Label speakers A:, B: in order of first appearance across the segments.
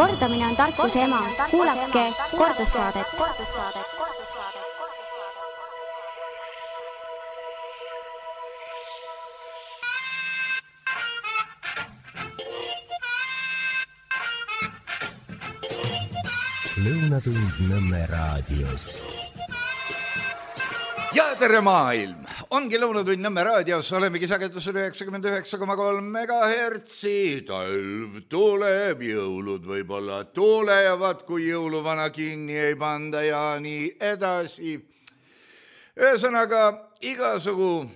A: Kordamine on tarkuse ema. Kuulake kordussaadet.
B: Lõunatund Nõmme raadios.
C: Ja tere maailm! Ongi Lõunatund Nõmme raadios, olemegi sagedusel 99,3 megahertsi. Talv tuleb, jõulud võib-olla tulevad, kui jõuluvana kinni ei panda ja nii edasi. Ühesõnaga, igasugu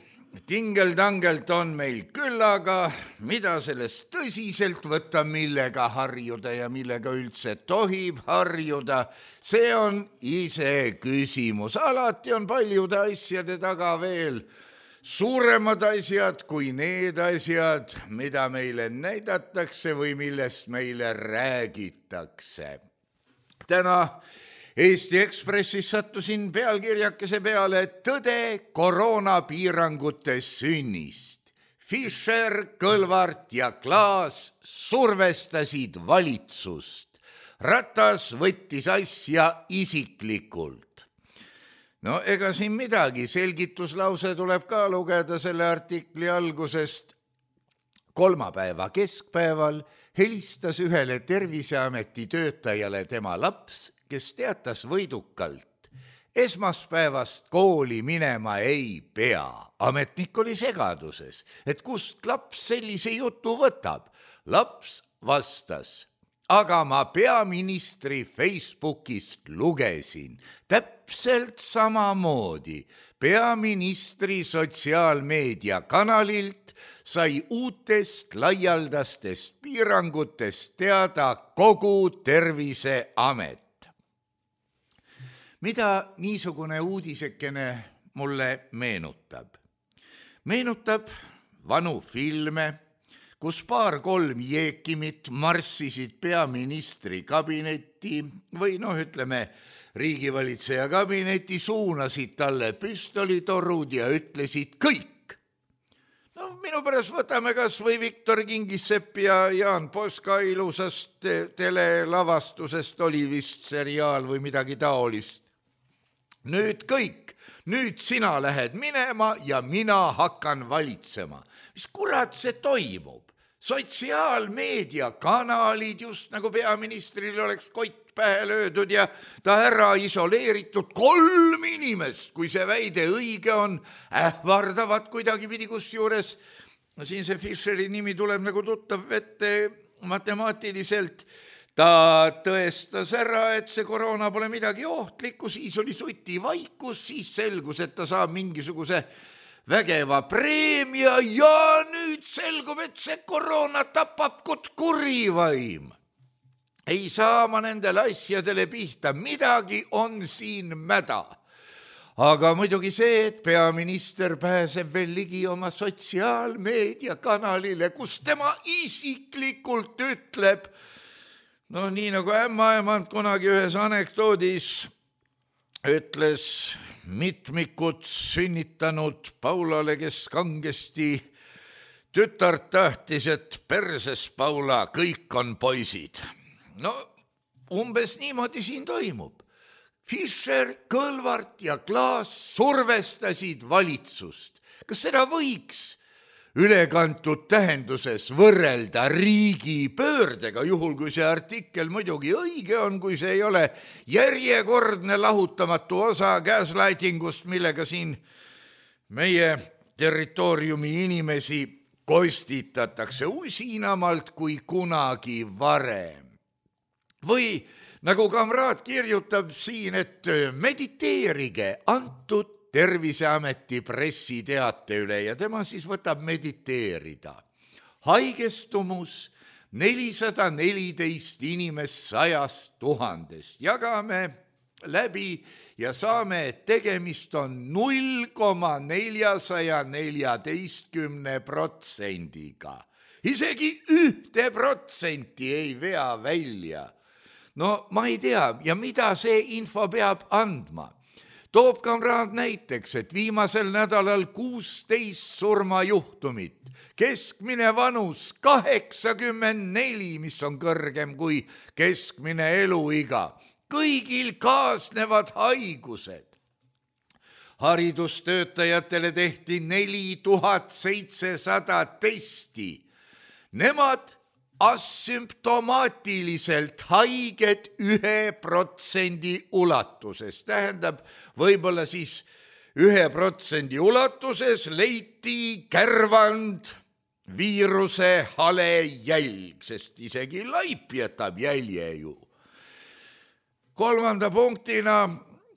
C: tingeltangelt on meil küllaga, mida sellest tõsiselt võtta, millega harjuda ja millega üldse tohib harjuda. See on ise küsimus. Alati on paljude asjade taga veel suuremad asjad kui need asjad, mida meile näidatakse või millest meile räägitakse. Täna Eesti Ekspressis sattusin pealkirjakese peale Tõde koroonapiirangute sünnist. Fischer, Kõlvart ja Klaas survestasid valitsust. Ratas võttis asja isiklikult. No ega siin midagi, selgituslause tuleb ka lugeda selle artikli algusest. Kolmapäeva keskpäeval helistas ühele Terviseameti töötajale tema laps, kes teatas võidukalt. Esmaspäevast kooli minema ei pea. Ametnik oli segaduses, et kust laps sellise jutu võtab. Laps vastas, aga ma peaministri Facebookist lugesin. Täpselt samamoodi. Peaministri sotsiaalmeedia kanalilt sai uutest laialdastest piirangutest teada kogu Terviseamet. Mida niisugune uudisekene mulle meenutab? Meenutab vanu filme, kus 2-3 jeekimit marssisid peaministri kabinetti või riigivalitseja kabinetti, suunasid talle püstolitorud ja ütlesid kõik. Minu pärast võtame kas või Viktor Kingissepp ja Jaan Poska ilusast telelavastusest, oli vist seriaal või midagi taolist. Nüüd kõik, nüüd sina lähed minema ja mina hakkan valitsema. Mis kurat see toimub? Sotsiaalmeedia kanalid, just nagu peaministril oleks kott pähe löödud ja ta ära isoleeritud. 3 inimest, kui see väide õige on, ähvardavad kuidagi pidi kusjuures. Siin see Fischeri nimi tuleb nagu tuttav vette matemaatiliselt. Ta tõestas ära, et see koroona pole midagi ohtlikku, siis oli suti vaikus, siis selgus, et ta saab mingisuguse vägeva preemia ja nüüd selgub, et see koroona tapab kut kurivaim. Ei saa ma nendele asjadele pihta, midagi on siin mäda. Aga muidugi see, et peaminister pääseb veel ligi oma sotsiaalmeedia kanalile, kus tema isiklikult ütleb, nii nagu ämmaemand kunagi ühes anekdoodis ütles mitmikut sünnitanud Paulale, kes kangesti tütart tahtis, et perses Paula, kõik on poisid. Umbes niimoodi siin toimub. Fischer, Kõlvart ja Klaas survestasid valitsust. Kas seda võiks ülekantud tähenduses võrrelda riigipöördega, juhul kui see artikkel muidugi õige on, kui see ei ole järjekordne lahutamatu osa gaslightingust, millega siin meie territooriumi inimesi kostitatakse usinamalt kui kunagi varem. Või nagu kamraad kirjutab siin, et mediteerige antud Terviseameti pressiteate üle ja tema siis võtab mediteerida. Haigestumus 414 inimest 100 000. Jagame läbi ja saame, et tegemist on 0,414%. Isegi 1% ei vea välja. Ma ei tea, ja mida see info peab andma? toob kamraad näiteks, et viimasel nädalal 16 surmajuhtumit, keskmine vanus 84, mis on kõrgem kui keskmine eluiga. Kõigil kaasnevad haigused. Haridustöötajatele tehti 4700 testi. Nemad asümptomaatiliselt haiged 1% ulatuses. Tähendab, võib-olla siis 1% ulatuses leiti kärvand viiruse hale jälg, sest isegi laip jätab jälje ju. 3. punktina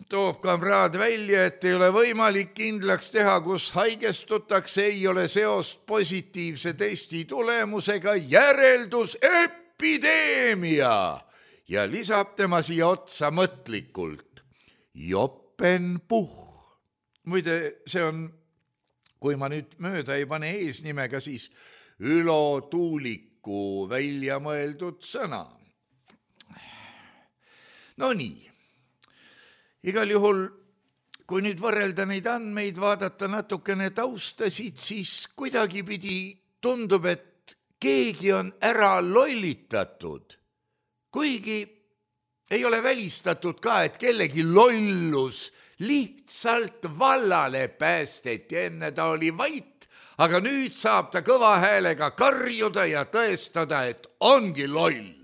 C: toob kamraad välja, et ei ole võimalik kindlaks teha, kus haigestutakse, ei ole seost positiivse testi tulemusega, järeldus epideemia ja lisab tema siia otsa mõtlikult jopenpuh. Muide, see on, kui ma nüüd mööda ei pane eesnimega, siis Ülo Tuuliku välja mõeldud sõna. No nii, igal juhul, kui nüüd võrrelda neid andmeid, vaadata natukene taustasid, siis kuidagipidi tundub, et keegi on ära lollitatud. Kuigi ei ole välistatud ka, et kellegi lollus lihtsalt vallale päästeti, enne ta oli vait, aga nüüd saab ta kõva häälega karjuda ja tõestada, et ongi loll.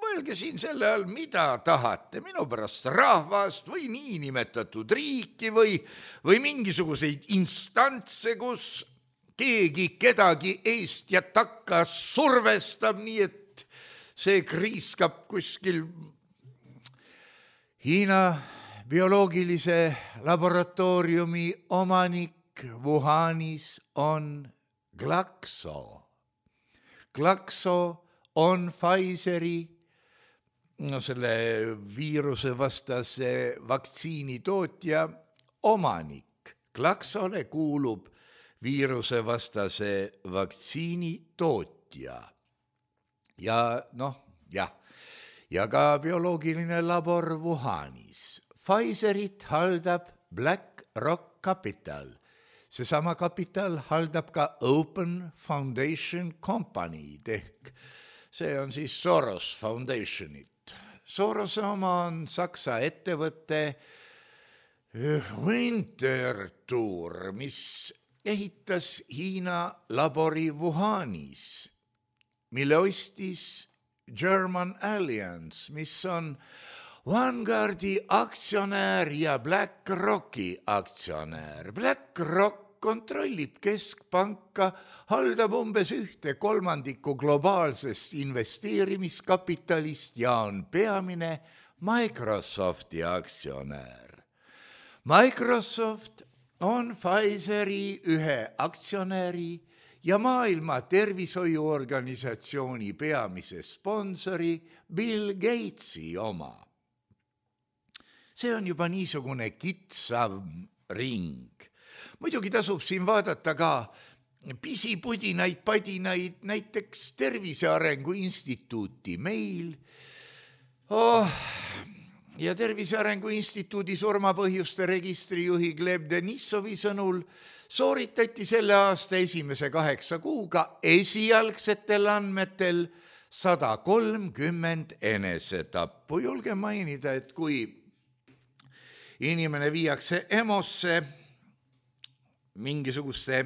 C: Mõelge siin selle all, mida tahate, minu pärast rahvast või niinimetatud riiki või mingisuguseid instantse, kus keegi kedagi eest ja takka survestab, nii et see kriiskab kuskil. Hiina bioloogilise laboratooriumi omanik Wuhanis on Glaxo. Glaxo on Pfizeri selle viiruse vastase vaktsiini tootja omanik. Glaxole kuulub viiruse vastase vaktsiini tootja. Ja ka bioloogiline labor Wuhanis. Pfizerit haldab BlackRock Capital. Seesama kapital haldab ka Open Foundation Company, ehk see on siis Soros Foundationit. Sorose oma on Saksa ettevõte Winterthur, mis ehitas Hiina labori Wuhanis, mille ostis German Alliance, mis on Vanguardi aktsionär ja BlackRocki aktsionär. BlackRock kontrollib keskpanka, haldab umbes 1/3 globaalsest investeerimiskapitalist ja on peamine Microsofti aktsionär. Microsoft on Pfizeri ühe aktsionäri ja Maailma Tervishoiuorganisatsiooni peamise sponsori Bill Gatesi oma. See on juba niisugune kitsav ring. Muidugi tasub siin vaadata ka pisipudinaid, padinaid, näiteks Tervise Arengu Instituuti meil. Ja Tervise Arengu Instituudi surmapõhjuste registrijuhi Gleb Denissovi sõnul sooritati selle aasta esimese 8 kuuga esialgsetel andmetel 130 enesetappu. Julge mainida, et kui inimene viiakse EMO-sse mingisuguste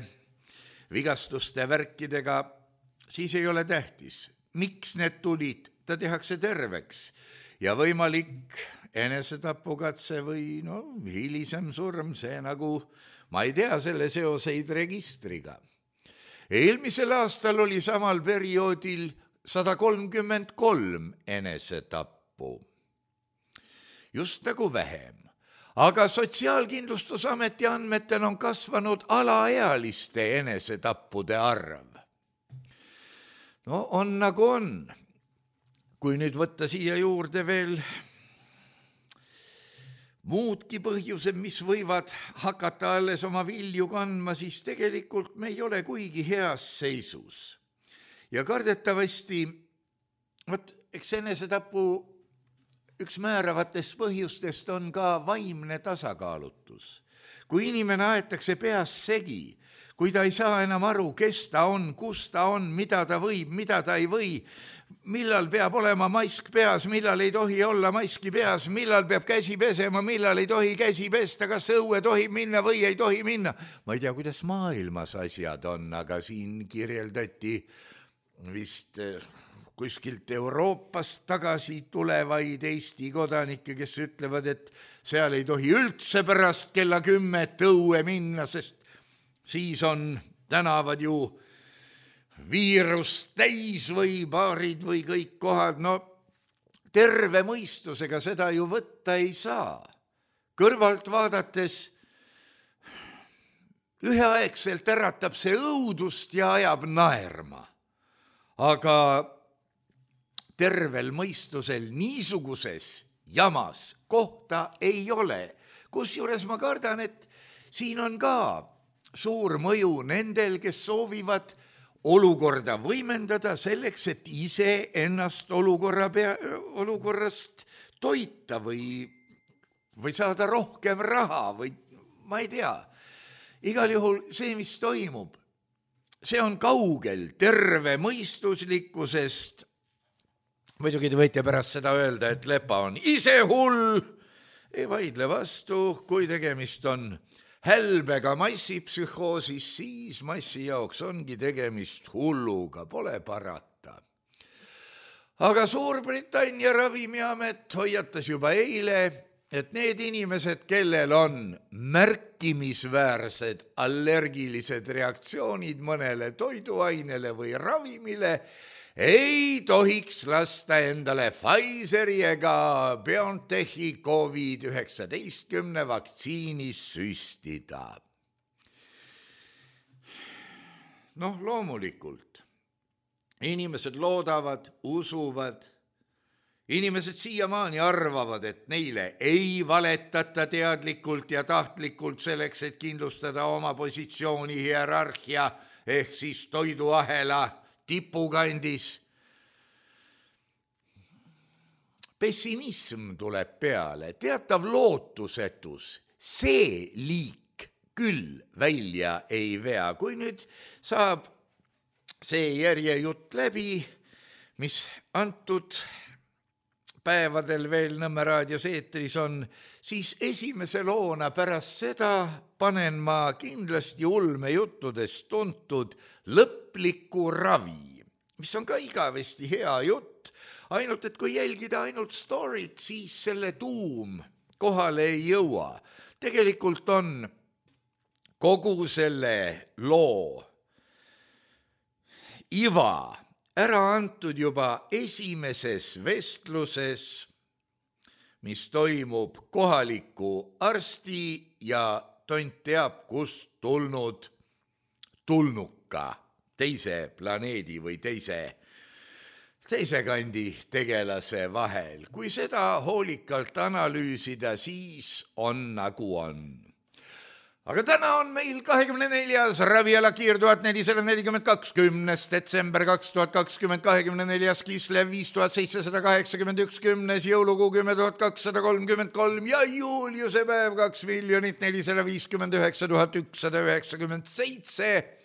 C: vigastuste värkidega, siis ei ole tähtis, miks need tulid, ta tehakse terveks ja võimalik enesetapugatse või hilisem surm, see nagu, ma ei tea selle seoseid registriga. Eelmisel aastal oli samal perioodil 133 enesetappu. Just nagu vähem. Aga Sotsiaalkindlustusameti andmetel on kasvanud alaealiste enesetappude arv. On nagu on. Kui nüüd võtta siia juurde veel muudki põhjused, mis võivad hakata alles oma vilju kandma, siis tegelikult me ei ole kuigi heas seisus. Ja kardetavasti, eks enesetapu üks määravatest põhjustest on ka vaimne tasakaalutus. Kui inimene aetakse peas segi, kui ta ei saa enam aru, kes ta on, kus ta on, mida ta võib, mida ta ei või, millal peab olema mask peas, millal ei tohi olla maski peas, millal peab käsi pesema, millal ei tohi käsi pesta, kas õue tohib minna või ei tohi minna. Ma ei tea, kuidas maailmas asjad on, aga siin kirjeldati vist kuskilt Euroopast tagasi tulevaid Eesti kodanikke, kes ütlevad, et seal ei tohi üldse pärast kella 10 õue minna, sest siis on tänavad ju viirust täis või baarid või kõik kohad. No terve mõistusega seda ju võtta ei saa. Kõrvalt vaadates üheaegselt äratab see õudust ja ajab naerma. Aga tervel mõistusel niisuguses jamas kohta ei ole. Kusjuures ma kardan, et siin on ka suur mõju nendel, kes soovivad olukorda võimendada selleks, et ise ennast olukorrast toita või saada rohkem raha või ma ei tea. Igal juhul see, mis toimub, see on kaugel terve mõistuslikkusest. Muidugi te võite pärast seda öelda, et Lepa on ise hull. Ei vaidle vastu, kui tegemist on hälbega massipsühhoosis, siis massi jaoks ongi tegemist hulluga, pole parata. Aga Suurbritannia ravimiamet hoiatas juba eile, et need inimesed, kellel on märkimisväärsed allergilised reaktsioonid mõnele toiduainele või ravimile, ei tohiks lasta endale Pfizeri ega BioNTechi COVID-19 vaktsiinis süstida. Noh, loomulikult. Inimesed loodavad, usuvad. Inimesed siiamaani arvavad, et neile ei valetata teadlikult ja tahtlikult selleks, et kindlustada oma positsiooni hierarhia ehk siis toiduahela tipukandis. Pessimism tuleb peale, teatav lootusetus, see liik küll välja ei vea. Kui nüüd saab see järjejutt läbi, mis antud päevadel veel Nõmme raadios eetris on, siis esimese loona pärast seda panen ma kindlasti ulmejuttudest tuntud lõpliku ravi, mis on ka igavesti hea jutt, ainult et kui jälgida ainult storyt, siis selle tuum kohale ei jõua. Tegelikult on kogu selle loo iva ära antud juba esimeses vestluses, mis toimub kohaliku arsti ja tont teab, kust tulnud tulnuka teise planeedi või teise kandi tegelase vahel. Kui seda hoolikalt analüüsida, siis on nagu on. Aga täna on meil 24. Raviala Kiir 1442, 10. detsember 2020, 24. Kislev 5781, 10. jõulukuu 10233 ja juuliuse päev 2,459,197.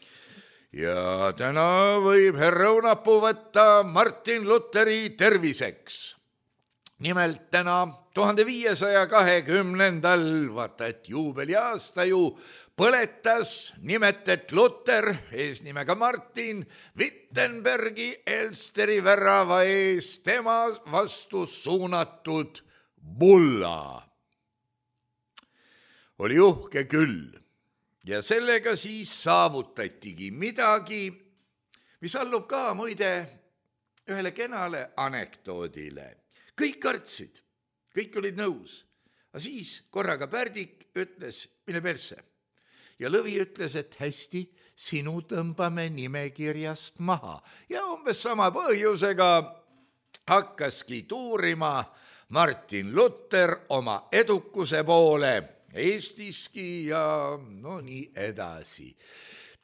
C: Ja täna võib herraunapuu võtta Martin Lutheri terviseks. Nimelt täna 1520. Vaata, et juubeliaasta ju põletas nimetet Luther, eesnimega Martin, Wittenbergi Elsteri värava ees tema vastu suunatud bulla. Oli uhke küll ja sellega siis saavutatigi midagi, mis allub ka muide ühele kenale anekdoodile. Kõik kartsid, kõik olid nõus, aga siis korraga Pärdik ütles, mine perse. Ja Lõvi ütles, et hästi, sinu tõmbame nimekirjast maha. Ja umbes sama põhjusega hakkaski tuurima Martin Luther oma edukuse poole Eestiski ja no nii edasi.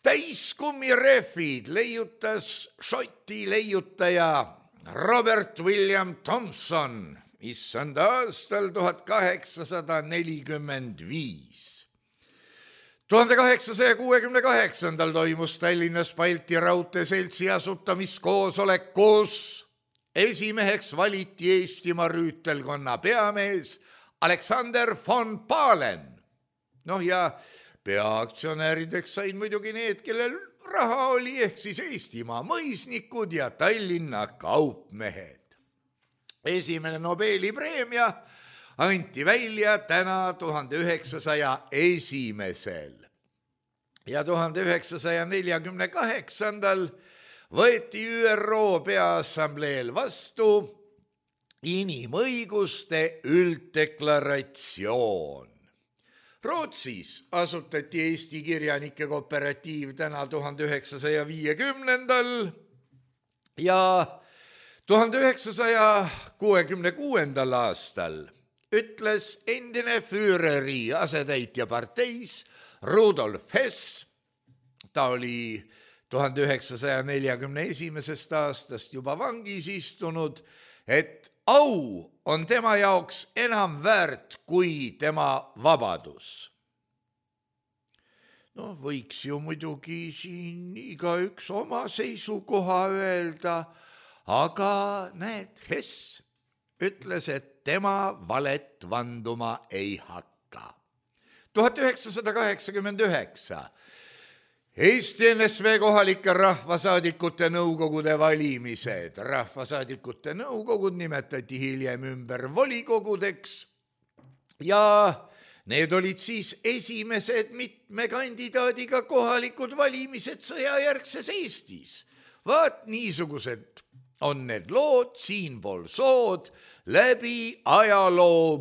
C: Täiskummirehvid leiutas Šoti leiutaja Robert William Thompson issand aastal 1845. 1868. toimus Tallinnas Balti Raudteeseltsi asutamiskoosolek, kus esimeheks valiti Eestimaa rüütelkonna peamees Alexander von Pahlen. Ja peaaktsionäärideks said muidugi need, kellel raha oli, ehk siis Eestimaa mõisnikud ja Tallinna kaupmehed. Esimene Nobeli preemia anti välja täna 1901. Ja 1948. võeti ÜRO Peaassambleel vastu inimõiguste ülddeklaratsioon. Rootsis asutati Eesti kirjanike kooperatiiv täna 1950. ja 1966. aastal ütles endine Führeri asetäitja parteis Rudolf Hess, ta oli 1941. aastast juba vangis istunud, et au on tema jaoks enam väärt kui tema vabadus. Võiks ju muidugi siin igaüks oma seisukoha öelda, aga näed, Hess ütles, et tema valet vanduma ei hakka. 1989. Eesti NSV kohalike rahvasaadikute nõukogude valimised. Rahvasaadikute nõukogud nimetati hiljem ümber volikogudeks ja need olid siis esimesed mitme kandidaadiga kohalikud valimised sõjajärgses Eestis. Vaat niisugused on need lood siinpool sood läbi ajaloo,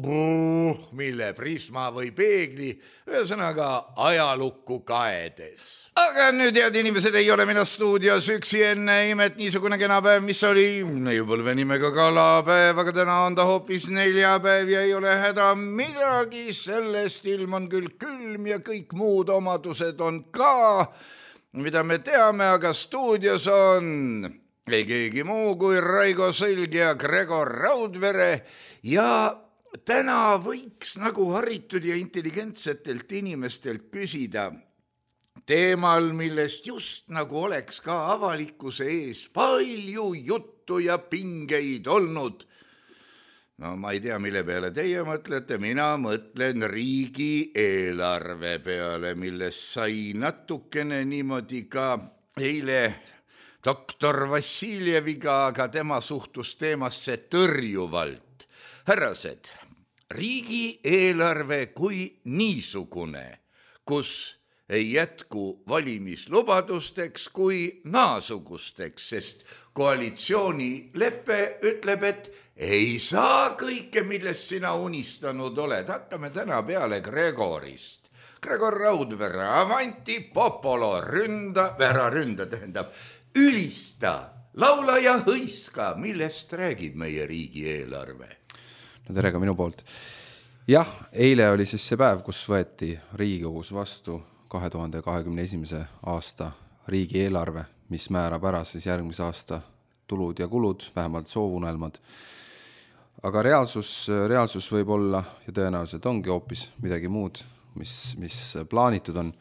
C: mille prisma või peegli, ühesõnaga ajalukku kaedes. Aga nüüd, head inimesed, ei ole mina stuudios üksi enne imet niisugune kena päev, mis oli neiupõlve nimega kalapäev, aga täna on ta hoopis neljapäev ja ei ole häda midagi, sellest ilm on küll külm ja kõik muud omadused on ka, mida me teame, aga stuudios on ei keegi muu kui Raigo Sõlg ja Gregor Raudvere ja täna võiks nagu haritud ja intelligentsetelt inimestelt küsida teemal, millest just nagu oleks ka avalikkuse ees palju juttu ja pingeid olnud. Ma ei tea, mille peale teie mõtlete, mina mõtlen riigieelarve peale, millest sai natukene niimoodi ka eile doktor Vassiljeviga, aga tema suhtus teemasse tõrjuvalt. Härrased, riigieelarve kui niisugune, kus ei jätku valimislubadusteks kui naasugusteks, sest koalitsioonilepe ütleb, et ei saa kõike, millest sina unistanud oled. Hakkame täna peale Gregorist. Gregor Raudvere, avanti popolo, ülista, laula ja hõiska, millest räägib meie riigieelarve?
D: No tere ka minu poolt. Jah, eile oli siis see päev, kus võeti Riigikogus vastu 2021. aasta riigieelarve, mis määrab ära siis järgmise aasta tulud ja kulud, vähemalt soovunelmad. Aga reaalsus võib olla ja tõenäoliselt ongi hoopis midagi muud, mis plaanitud on.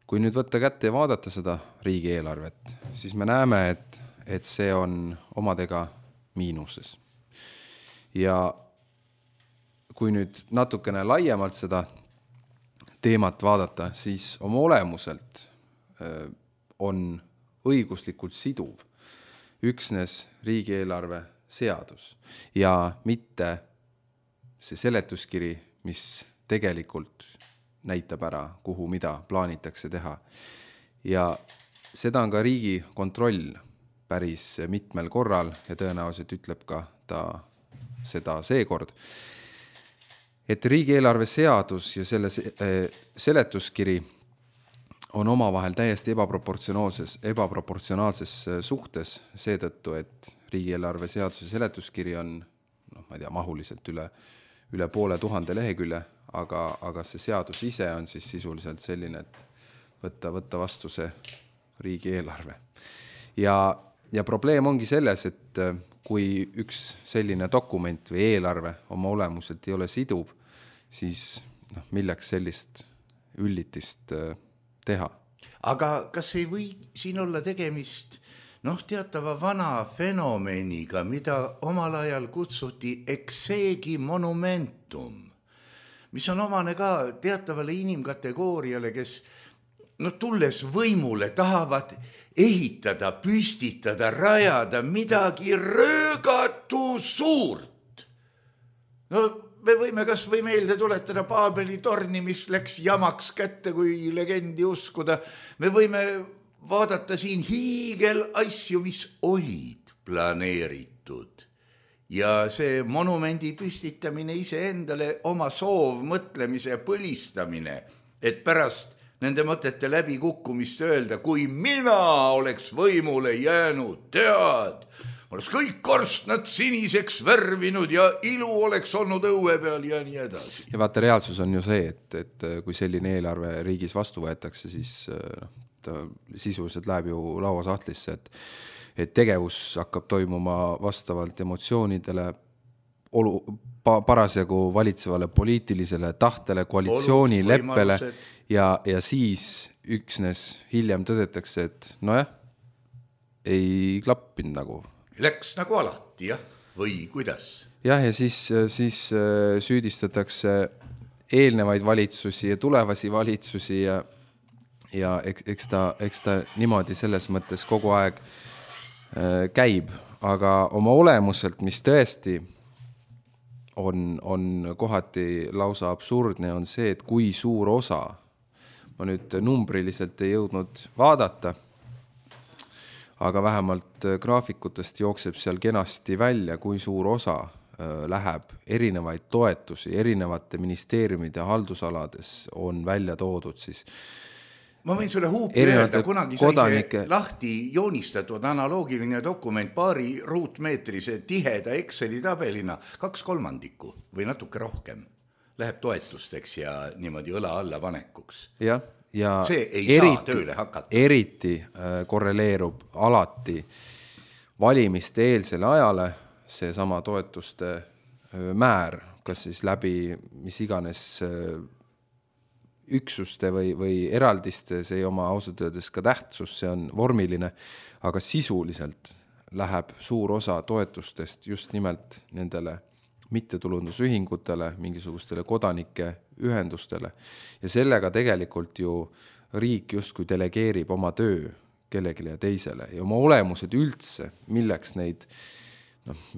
D: Kui nüüd võtta kätte ja vaadata seda riigieelarvet, siis me näeme, et see on omadega miinuses. Ja kui nüüd natukene laiemalt seda teemat vaadata, siis oma olemuselt on õiguslikult siduv üksnes riigieelarve seadus ja mitte see seletuskiri, mis tegelikult näitab ära, kuhu mida plaanitakse teha. Ja seda on ka Riigikontroll päris mitmel korral ja tõenäoliselt ütleb ka ta seda seekord, et riigieelarve seadus ja selle seletuskiri on omavahel täiesti ebaproportsionaalses suhtes seetõttu, et riigieelarve seaduse seletuskiri on, ma ei tea, mahuliselt üle 500 lehekülje, aga see seadus ise on siis sisuliselt selline, et võtta vastu see riigieelarve. Ja ja probleem ongi selles, et kui üks selline dokument või eelarve oma olemuselt ei ole siduv, siis milleks sellist üllitist teha?
C: Aga kas ei või siin olla tegemist teatava vana fenomeniga, mida omal ajal kutsuti exegi monumentum, mis on omane ka teatavale inimkategooriale, kes tulles võimule tahavad ehitada, püstitada, rajada midagi röögatu suurt. Me võime kas või meelde tuletada Paabeli torni, mis läks jamaks kätte, kui legendi uskuda. Me võime vaadata siin hiigel asju, mis olid planeeritud. Ja see monumendi püstitamine iseendale oma soov, mõtlemise põlistamine, et pärast nende mõtete läbikukkumist öelda, kui mina oleks võimule jäänud, tead, oleks kõik korstnad siniseks värvinud ja ilu oleks olnud õue peal ja nii edasi.
D: Ja vaata, reaalsus on ju see, et kui selline eelarve riigis vastu võetakse, siis ta sisuliselt läheb ju lauasahtlisse, et tegevus hakkab toimuma vastavalt emotsioonidele, parasjagu valitsevale poliitilisele tahtele, koalitsioonileppele ja siis üksnes hiljem tõdetakse, et ei klappinud nagu.
C: Läks nagu alati, jah? Või kuidas?
D: Jah, ja siis süüdistatakse eelnevaid valitsusi ja tulevasi valitsusi ja eks ta niimoodi selles mõttes kogu aeg käib, aga oma olemuselt, mis tõesti on kohati lausa absurdne, on see, et kui suur osa, ma nüüd numbriliselt ei jõudnud vaadata, aga vähemalt graafikutest jookseb seal kenasti välja, kui suur osa läheb erinevaid toetusi, erinevate ministeeriumide haldusalades on välja toodud siis.
C: Ma võin sulle huupi öelda, kunagi sai see lahti joonistatud analoogiline dokument paari ruutmeetrise tiheda Exceli tabelina 2/3 või natuke rohkem läheb toetusteks ja niimoodi õla alla panekuks.
D: Ja
C: see ei saa tööle hakata.
D: Eriti korreleerub alati valimiste eelsele ajale see sama toetuste määr, kas siis läbi mis iganes üksuste või eraldiste, see ei oma ausalt öeldes ka tähtsus, see on vormiline, aga sisuliselt läheb suur osa toetustest just nimelt nendele mittetulundusühingutele, mingisugustele kodanike ühendustele ja sellega tegelikult ju riik justkui delegeerib oma töö kellegile ja teisele ja oma olemused üldse, milleks neid,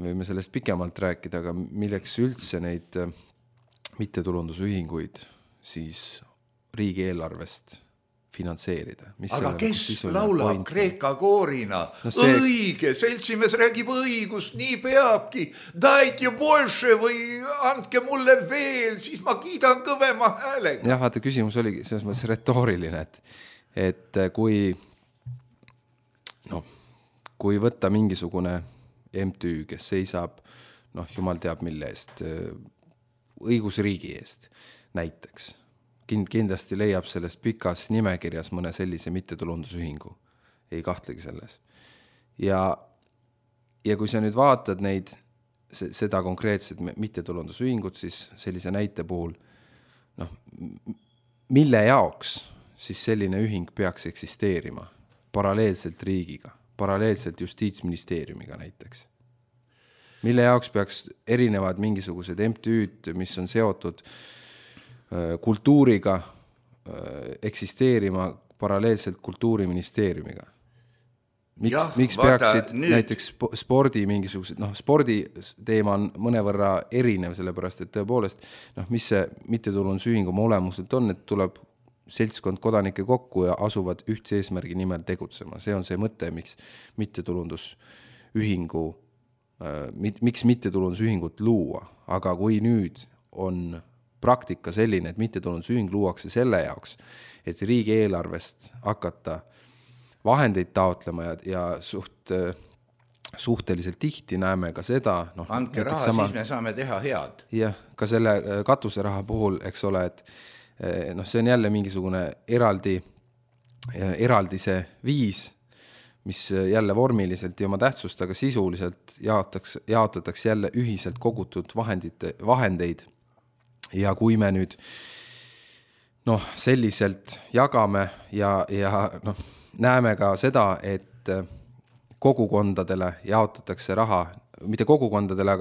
D: võime sellest pikemalt rääkida, aga milleks üldse neid mittetulundusühinguid siis riigieelarvest finantseerida.
C: Aga kes laulab kreeka koorina? Õige, seltsimees räägib õigust, nii peabki. Dajte больше või andke mulle veel, siis ma kiidan kõvema häälega.
D: Jah, vaata, küsimus oligi selles mõttes retooriline, et kui võtta mingisugune MTÜ, kes seisab, jumal teab mille eest, õigusriigi eest näiteks, kindlasti leiab selles pikas nimekirjas mõne sellise mittetulundusühingu. Ei kahtlegi selles. Ja kui sa nüüd vaatad neid, seda konkreetset mittetulundusühingut, siis sellise näite puhul, mille jaoks siis selline ühing peaks eksisteerima paralleelselt riigiga, paralleelselt justiitsministeeriumiga näiteks? Mille jaoks peaks erinevad mingisugused MTÜ-d, mis on seotud kultuuriga eksisteerima paralleelselt kultuuriministeeriumiga. Miks peaksid näiteks spordi mingisugused, spordi teema on mõnevõrra erinev, sellepärast, et tõepoolest, mis see mittetulundusühing oma olemuselt on, et tuleb seltskond kodanike kokku ja asuvad ühtse eesmärgi nimel tegutsema. See on see mõte, miks mittetulundusühingut luua. Aga kui nüüd on praktika selline, et mittetulundusühing luuakse selle jaoks, et riigieelarvest hakata vahendeid taotlema ja suhteliselt tihti näeme ka seda.
C: Andke raha, siis me saame teha head.
D: Jah, ka selle katuseraha puhul, eks ole, et see on jälle mingisugune eraldise viis, mis jälle vormiliselt ja oma tähtsust, aga sisuliselt jaotatakse jälle ühiselt kogutud vahendeid. Ja kui me nüüd selliselt jagame ja näeme ka seda, et kogukondadele jaotatakse raha, mitte kogukondadele,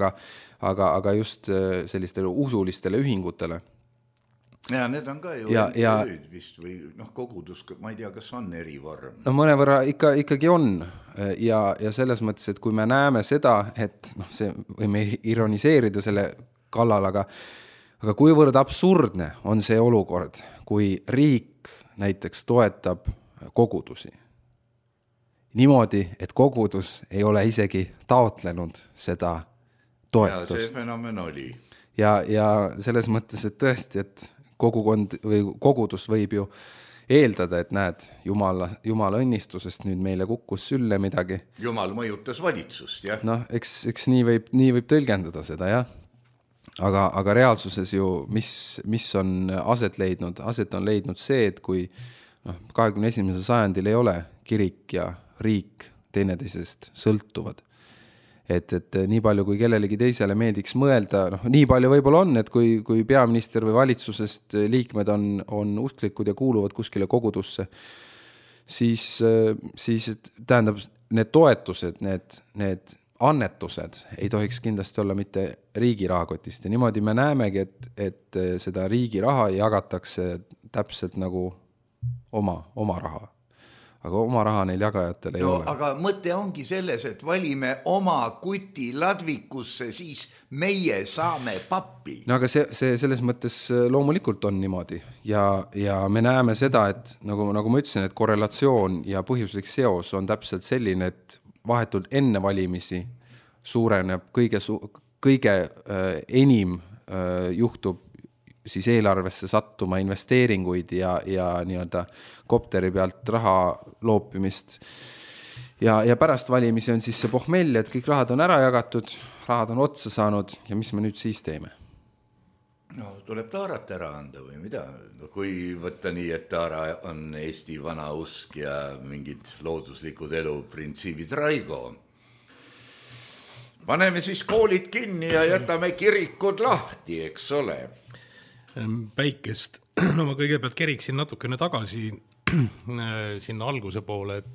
D: aga just sellistele usulistele ühingutele.
C: Ja need on ka ju MTÜ-d vist või kogudus, ma ei tea, kas on erivorm.
D: Mõnevõrra ikkagi on ja selles mõttes, et kui me näeme seda, et see võime ironiseerida selle kallal, aga kuivõrd absurdne on see olukord, kui riik näiteks toetab kogudusi. Niimoodi, et kogudus ei ole isegi taotlenud seda toetust.
C: Ja see fenomen oli.
D: Ja selles mõttes, et tõesti, et kogukond või kogudus võib ju eeldada, et näed, Jumala õnnistusest nüüd meile kukkus sülle midagi.
C: Jumal mõjutas valitsust, jah.
D: Eks nii võib tõlgendada seda, jah. Aga reaalsuses ju, mis on aset on leidnud see, et kui 21. sajandil ei ole kirik ja riik teineteisest sõltuvad. Et nii palju, kui kellelegi teisele meeldiks mõelda, nii palju võib-olla on, et kui peaminister või valitsusest liikmed on usklikud ja kuuluvad kuskile kogudusse, siis tähendab, need toetused, need annetused ei tohiks kindlasti olla mitte riigi rahakotist. Ja niimoodi me näemegi, et seda riigi raha jagatakse täpselt nagu oma raha. Aga oma raha neil jagajatel ei ole.
C: Aga mõte ongi selles, et valime oma kuti ladvikusse, siis meie saame pappi.
D: Aga see selles mõttes loomulikult on niimoodi. Ja me näeme seda, et nagu ma ütlesin, et korrelatsioon ja põhjuslik seos on täpselt selline, et vahetult enne valimisi suureneb kõige enim juhtub siis eelarvesse sattuma investeeringuid ja nii-öelda kopteri pealt raha loopimist. Ja pärast valimisi on siis see pohmell, et kõik rahad on ära jagatud, rahad on otsa saanud ja mis me nüüd siis teeme?
C: Tuleb taarat ära anda või mida? Kui võtta nii, et taara on Eesti vana usk ja mingid looduslikud eluprintsiibid Raigo. Paneme siis koolid kinni ja jätame kirikud lahti, eks ole.
E: Päikest. Ma kõigepealt keriksin natukene tagasi sinna alguse poole, et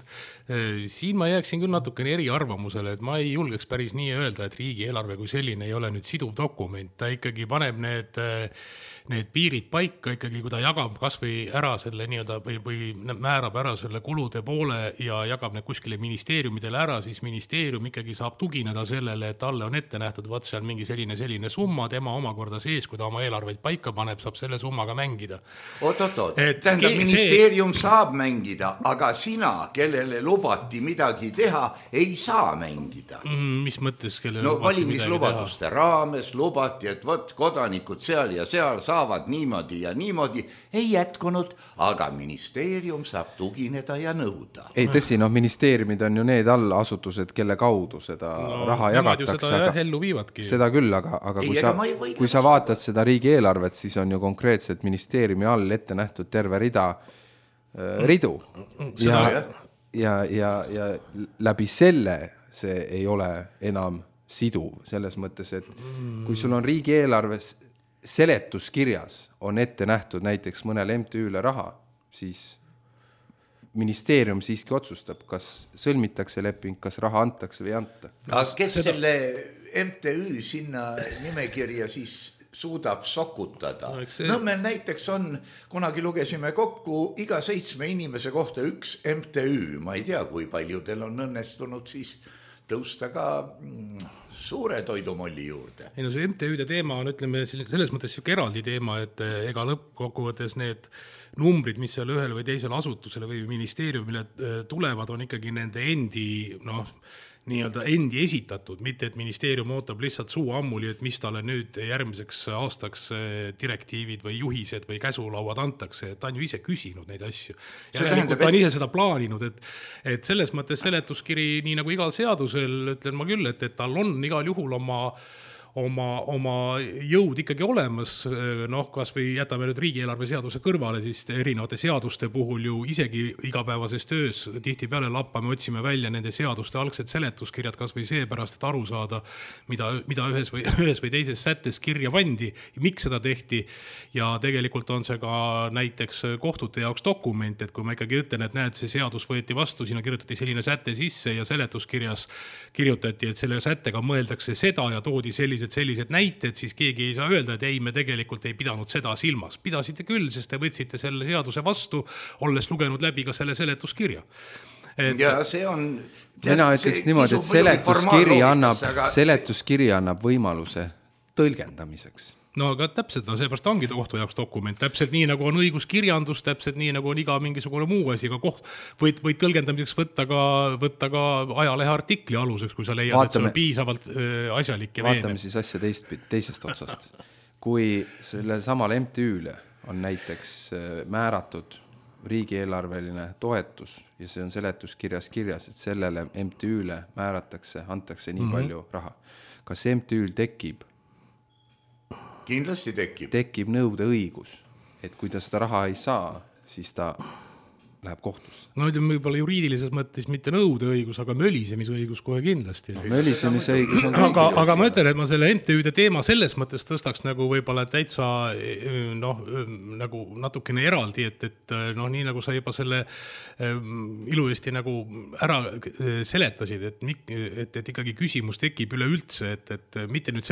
E: siin ma jääksin küll natukene eriarvamusele, et ma ei julgeks päris nii öelda, et riigieelarve kui selline ei ole nüüd siduv dokument. Ta ikkagi paneb need piirid paika ikkagi, kui ta jagab kas või ära selle nii-öelda või määrab ära selle kulude poole ja jagab need kuskile ministeeriumidele ära, siis ministeerium ikkagi saab tugineda sellele, et talle on ette nähtud vaat seal mingi selline summa, tema omakorda sees, kui ta oma eelarveid paika paneb, saab selle summaga mängida.
C: Tähendab, ministeerium saab mängida, aga sina, kellele lubati midagi teha, ei saa mängida.
E: Mis mõttes, kellele
C: valimislubaduste raames lubati, et võt kodanikud seal ja seal saavad niimoodi ja niimoodi, ei jätkunud, aga ministeerium saab tugineda ja nõuda.
D: Ei tõsi, ministeeriumid on ju need allasutused, kelle kaudu seda raha jagatakse. Seda küll, aga kui sa vaatad seda riigieelarvet, siis on ju konkreetselt ministeeriumi all ette nähtud terve ridu. Ja läbi selle see ei ole enam siduv selles mõttes, et kui sul on riigieelarves seletuskirjas on ette nähtud näiteks mõnele MTÜ-le raha, siis ministeerium siiski otsustab, kas sõlmitakse leping, kas raha antakse või ei anta.
C: Aga kes selle MTÜ sinna nimekirja siis suudab sokutada? Nõmmel näiteks on, kunagi lugesime kokku, iga 7 inimese kohta üks MTÜ. Ma ei tea, kui paljudel on õnnestunud siis tõusta ka suure toidumolli juurde.
E: Ei, see MTÜ-de teema on, ütleme, selles mõttes eraldi teema, et ega lõppkokkuvõttes need numbrid, mis seal ühele või teisele asutusele või ministeeriumile tulevad, on ikkagi nende endi esitatud, mitte et ministeerium ootab lihtsalt suu ammuli, et mis talle nüüd järgmiseks aastaks direktiivid või juhised või käsulauad antakse, et ta on ju ise küsinud neid asju. Ta on ise seda plaaninud, et selles mõttes seletuskiri, nii nagu igal seadusel, ütlen ma küll, et tal on igal juhul oma jõud ikkagi olemas, noh, kas või jätame nüüd riigieelarve seaduse kõrvale, siis erinevate seaduste puhul ju isegi igapäevases töös tihtipeale lappame, otsime välja nende seaduste algsed seletuskirjad, kas või seepärast, et aru saada, mida ühes või teises sättes kirja pandi, miks seda tehti ja tegelikult on see ka näiteks kohtute jaoks dokument, et kui ma ikkagi ütlen, et näed, see seadus võeti vastu, sinna kirjutati selline säte sisse ja seletuskirjas kirjutati, et selle sättega mõeldakse seda ja toodi sellised näited, siis keegi ei saa öelda, et ei, me tegelikult ei pidanud seda silmas. Pidasite küll, sest te võtsite selle seaduse vastu, olles lugenud läbi ka selle seletuskirja.
C: Ja see on...
D: Mina ütleks niimoodi, et seletuskiri annab võimaluse tõlgendamiseks.
E: No aga täpselt, seepärast ongi kohtu jaoks dokument, täpselt nii nagu on õiguskirjandus, täpselt nii nagu on iga mingisugune muu asi, aga võid tõlgendamiseks võtta ka ajalehe artikli aluseks, kui sa leiad, et see on piisavalt asjalik ja
D: vaatame siis asja teisest otsast. Kui selle samal MTÜ-le on näiteks määratud riigieelarveline toetus ja see on seletuskirjas kirjas, et sellele MTÜ-le antakse nii palju raha. Kas MTÜ-l tekib
C: kindlasti
D: tekib nõude õigus, et kui ta seda raha ei saa, siis ta läheb kohtusse.
E: No ütleme võib-olla juriidilises mõttes mitte nõude õigus, aga mölisemisõigus kohe kindlasti.
D: Mölisemisõigus on
E: aga ma ütlen, et ma selle MTÜ-de teema selles mõttes tõstaks nagu võib-olla täitsa nagu natukene eraldi, et nii nagu sa juba selle ilusti nagu ära seletasid, et ikkagi küsimus tekib üleüldse, et mitte nüüd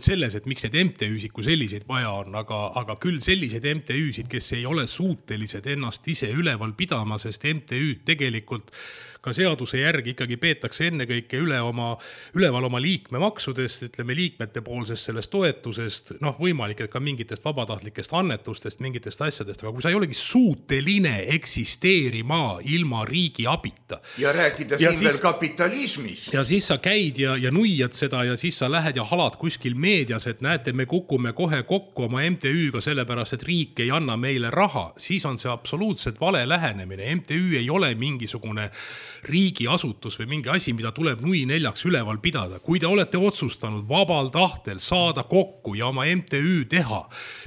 E: selles, et miks need MTÜ-sid kui selliseid vaja on, aga küll selliseid MTÜ-sid, kes ei ole suutelised ennast ise üleval pidama, sest MTÜ tegelikult ka seaduse järgi ikkagi peetakse ennekõike üleval oma liikmemaksudest, ütleme liikmete poolsest sellest toetusest, võimalik, et ka mingitest vabatahtlikest annetustest, mingitest asjadest, aga kui sa ei olegi suuteline eksisteerima ilma riigi abita.
C: Ja rääkida siin veel kapitalismis.
E: Ja siis sa käid ja nuiad seda ja siis sa lähed ja halad kuskil meedias, et näete, me kukume kohe kokku oma MTÜ-ga sellepärast, et riik ei anna meile raha, siis on see absoluutselt vale lähenemine. MTÜ ei ole mingisugune riigiasutus või mingi asi, mida tuleb nui neljaks üleval pidada. Kui te olete otsustanud vabal tahtel saada kokku ja oma MTÜ teha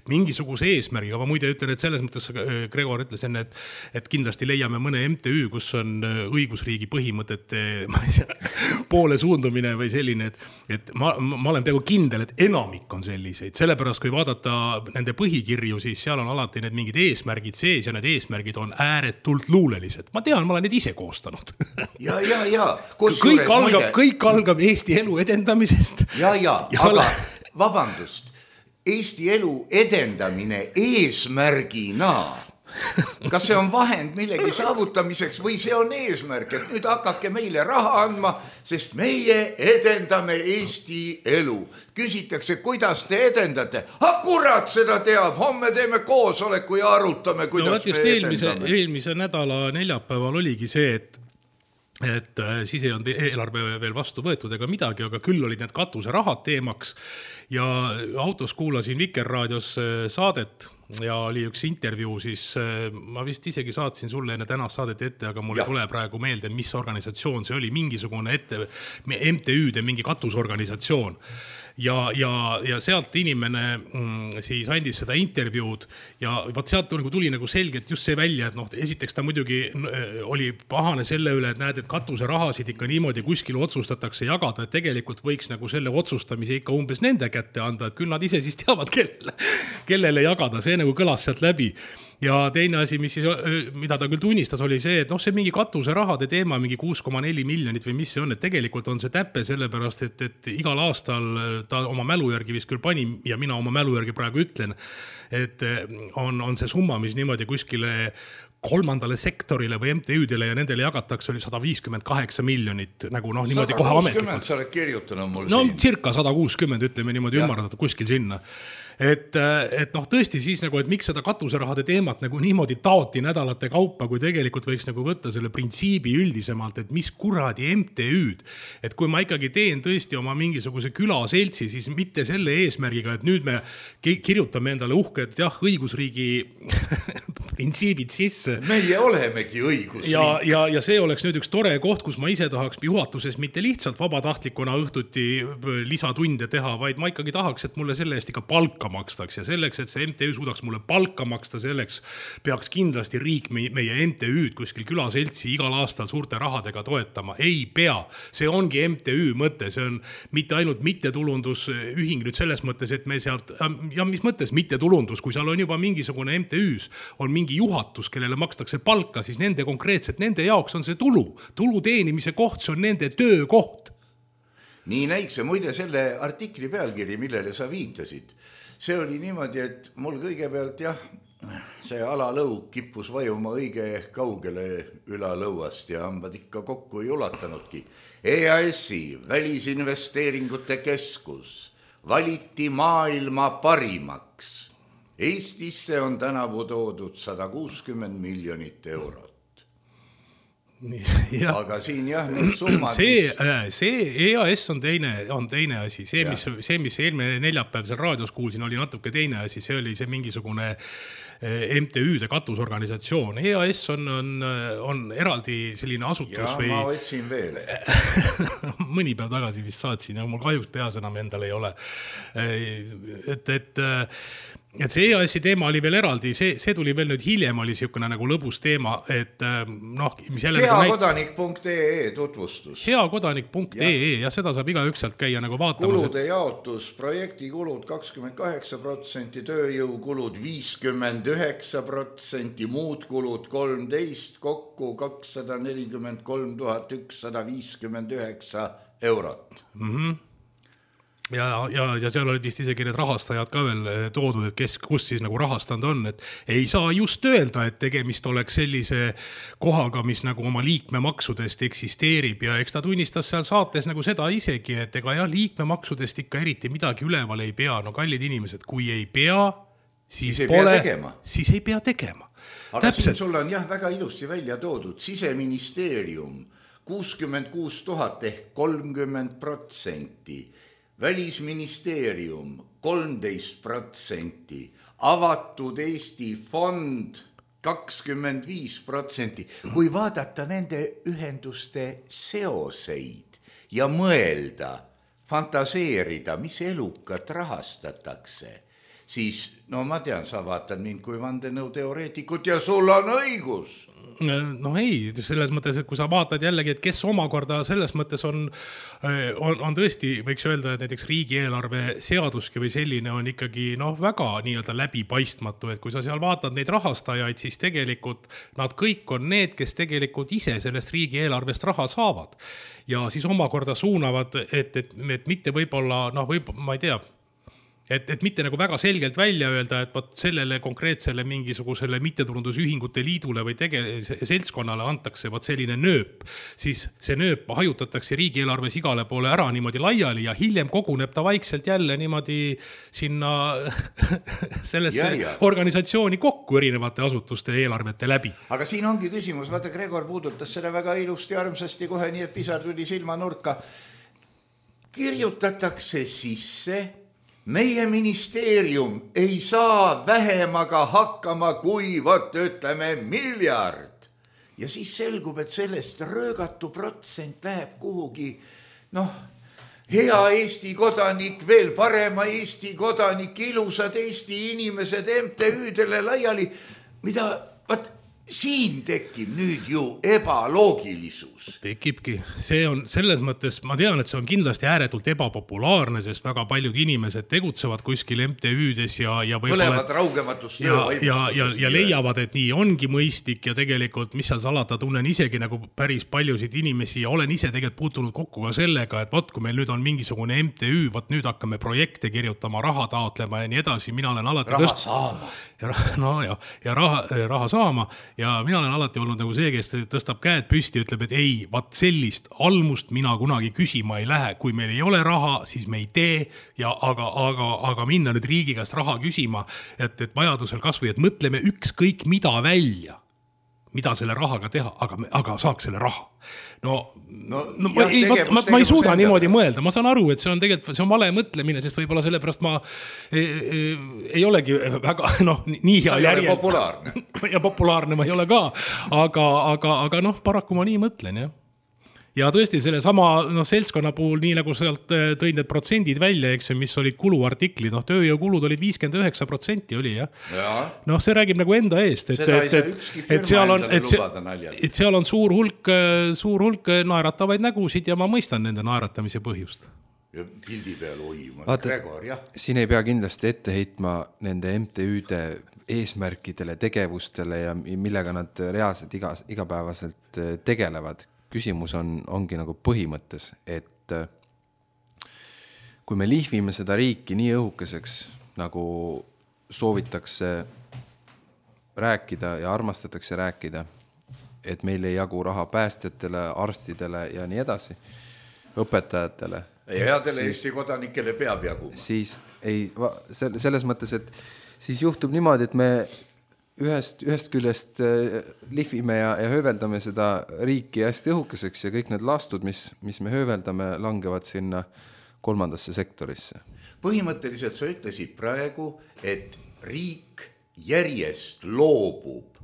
E: mingisuguse eesmärgiga, ma muide ütlen, et selles mõttes Gregor ütles enne, et kindlasti leiame mõne MTÜ, kus on õigusriigi põhimõtete poole suundumine või selline, et ma olen peaaegu kindel, et enamik on selliseid. Sellepärast, kui vaadata nende põhikirju, siis seal on alati need mingid eesmärgid sees ja need eesmärgid on ääretult luulelised. Ma tean, ma olen need ise koostanud.
C: Ja.
E: Kõik algab Eesti elu edendamisest.
C: Aga vabandust, Eesti elu edendamine eesmärgina. Kas see on vahend millegi saavutamiseks või see on eesmärk, et nüüd hakake meile raha andma, sest meie edendame Eesti elu. Küsitakse, kuidas te edendate? Kurat seda teab, homme teeme koosoleku ja arutame, kuidas me edendame.
E: Eelmise nädala neljapäeval oligi see, et siis ei olnud eelarve veel vastu võetud ega midagi, aga küll olid need katusrahad teemaks ja autos kuulasin Vikerraadios saadet ja oli üks intervjuu, siis ma vist isegi saatsin sulle enne tänast saadet ette, aga mul ei tule praegu meelde, mis organisatsioon see oli, mingisugune MTÜ-de mingi katusorganisatsioon. Ja sealt inimene siis andis seda intervjuud ja sealt tuli nagu selgelt just see välja, et esiteks ta muidugi oli pahane selle üle, et näed, et katuserahasid ikka niimoodi kuskil otsustatakse jagada, et tegelikult võiks nagu selle otsustamise ikka umbes nende kätte anda, et küll nad ise siis teavad, kellele jagada, see nagu kõlas sealt läbi. Ja teine asi, mida ta küll tunnistas, oli see, et see mingi katuserahade teema, mingi 6,4 miljonit või mis see on, et tegelikult on see täppe sellepärast, et igal aastal ta oma mälu järgi vist küll pani ja mina oma mälu järgi praegu ütlen, et on see summa, mis niimoodi kuskile kolmandale sektorile või MTÜ-dele ja nendele jagatakse oli 158 miljonit, nagu niimoodi kohe ametlikult.
C: 160 sa oled kirjutanud mul
E: siin. Circa 160, ütleme niimoodi ümardatud kuskil sinna. Et tõesti siis nagu, et miks seda katuserahade teemat nagu niimoodi taoti nädalate kaupa, kui tegelikult võiks nagu võtta selle printsiibi üldisemalt, et mis kuradi MTÜ-d, et kui ma ikkagi teen tõesti oma mingisuguse külaseltsi, siis mitte selle eesmärgiga, et nüüd me kirjutame endale uhke, et õigusriigi printsiibid sisse, õigusesse.
C: Meie olemegi õigusriik.
E: Ja see oleks nüüd üks tore koht, kus ma ise tahaks juhatuses mitte lihtsalt vabatahtlikuna õhtuti lisatunde teha, vaid ma ikkagi tahaks, et mulle selle eest ikka palka makstaks ja selleks, et see MTÜ suudaks mulle palka maksta, selleks peaks kindlasti riik meie MTÜ-d kuskil külaseltsi igal aastal suurte rahadega toetama. Ei pea. See ongi MTÜ mõte. See on mitte ainult mittetulundusühing nüüd selles mõttes, et me sealt, ja mis mõttes mittetulundus, kui seal on juba mingisugune MTÜ-s, on mingi juhatus, kellele makstakse palka, siis nende konkreetselt, nende jaoks on see tulu teenimise koht, see on nende töökoht.
C: Nii näikse, muide selle artikli pealkiri, millele sa viitasid. See oli niimoodi, et mul kõigepealt see alalõug kippus vajuma õige kaugele ülalõuast ja hambad ikka kokku ei ulatanudki. EAS-i välisinvesteeringute keskus valiti maailma parimaks. Eestisse on tänavu toodud 160 miljonit eurot.
E: Ja.
C: Aga siin need summad...
E: See EAS on teine asi. See, mis eelmine neljapäev seal raadios kuulsin, oli natuke teine asi. See oli see mingisugune MTÜ-de katusorganisatsioon. EAS on eraldi selline asutus või...
C: ma otsin veel.
E: Mõni päev tagasi vist saatsin ja mul kahjuks peas enam endal ei ole. Et see EAS-i teema oli veel eraldi, see tuli veel nüüd hiljem, oli siukene nagu lõbus teema, et mis jälle...
C: Heakodanik.ee tutvustus.
E: Heakodanik.ee ja seda saab igaüks sealt käia nagu vaatamas.
C: Kulude jaotus, projektikulud 28%, tööjõukulud 59%, muud kulud 13%, kokku 243 159 eurot.
E: Ja seal olid vist isegi need rahastajad ka veel toodud, et kus siis nagu rahastanud on, et ei saa just öelda, et tegemist oleks sellise kohaga, mis nagu oma liikmemaksudest eksisteerib ja eks ta tunnistas seal saates nagu seda isegi, et ega liikmemaksudest ikka eriti midagi üleval ei pea. No kallid inimesed, kui ei pea, siis ei pea tegema.
C: Aga siin sul on väga ilusti välja toodud. Siseministeerium 66 000 ehk 30%. Välisministeerium 13%, avatud Eesti fond 25%. Kui vaadata nende ühenduste seoseid ja mõelda, fantaseerida, mis elukat rahastatakse, siis, ma tean, sa vaatad mind kui vandenõuteoreetikut ja sul on õigus.
E: No ei, selles mõttes, et kui sa vaatad jällegi, et kes omakorda selles mõttes on tõesti, võiks öelda, et näiteks riigieelarve seaduski või selline on ikkagi väga nii-öelda läbipaistmatu, et kui sa seal vaatad neid rahastajaid, siis tegelikult nad kõik on need, kes tegelikult ise sellest riigieelarvest raha saavad ja siis omakorda suunavad, et mitte võib-olla, ma ei tea, et mitte nagu väga selgelt välja öelda, et sellele konkreetsele mingisugusele mittetulundusühingute liidule või seltskonnale antakse selline nööp, siis see nööp hajutatakse riigieelarves igale poole ära niimoodi laiali ja hiljem koguneb ta vaikselt jälle niimoodi sinna sellesse organisatsiooni kokku erinevate asutuste eelarvete läbi.
C: Aga siin ongi küsimus, vaata Gregor puudutas seda väga ilusti armsasti kohe, nii et pisar tuli silmanurka. Kirjutatakse sisse meie ministeerium ei saa vähemaga hakkama kui ütleme miljard. Ja siis selgub, et sellest röögatu protsent läheb kuhugi, hea Eesti kodanik, veel parema Eesti kodanik, ilusad Eesti inimesed MTÜ-dele laiali, mida siin tekib nüüd ju ebaloogilisus.
E: Tekibki. See on selles mõttes, ma tean, et see on kindlasti ääretult ebapopulaarne, sest väga paljud inimesed tegutsevad kuskil MTÜ-des ja
C: põlevad raugematust
E: ja leiavad, et nii ongi mõistlik ja tegelikult, mis seal salata, tunnen isegi nagu päris paljusid inimesi ja olen ise tegelikult puutunud kokku ka sellega, et kui meil nüüd on mingisugune MTÜ, nüüd hakkame projekte kirjutama, raha taotlema ja nii edasi, mina olen alati raha saama ja mina olen alati olnud nagu see, kes tõstab käed püsti ja ütleb, et ei, sellist almust mina kunagi küsima ei lähe. Kui meil ei ole raha, siis me ei tee, aga minna nüüd riigi käest raha küsima, et vajadusel kasvõi, et mõtleme ükskõik mida välja. mida selle rahaga teha, aga saaks selle raha. Ma ei suuda niimoodi mõelda, ma saan aru, et see on tegelikult, see on vale mõtlemine, sest võib-olla sellepärast ma ei olegi väga, nii hea järjel.
C: Populaarne.
E: Ja populaarne ma ei ole ka, aga paraku ma nii mõtlen, jah. Ja tõesti selle sama seltskonna puhul, nii nagu sealt tõid need protsendid välja, eks, mis olid kuluartiklid, tööjõukulud olid 59% oli, jah. See räägib nagu enda eest, et seal on suur hulk naeratavaid nägusid ja ma mõistan nende naeratamise põhjust.
C: Ja pildi peal Gregor, jah.
D: Siin ei pea kindlasti ette heitma nende MTÜ-de eesmärkidele, tegevustele ja millega nad reaalselt igapäevaselt tegelevad. Küsimus ongi nagu põhimõttes, et kui me lihvime seda riiki nii õhukeseks, nagu soovitakse rääkida ja armastatakse rääkida, et meil ei jagu raha päästjatele, arstidele ja nii edasi, õpetajatele.
C: Ja headele Eesti kodanikele peab jagu.
D: Siis ei, selles mõttes, et siis juhtub niimoodi, et me ühest küljest lihvime ja hööveldame seda riiki hästi õhukeseks ja kõik need lastud, mis me hööveldame, langevad sinna kolmandasse sektorisse.
C: Põhimõtteliselt sa ütlesid praegu, et riik järjest loobub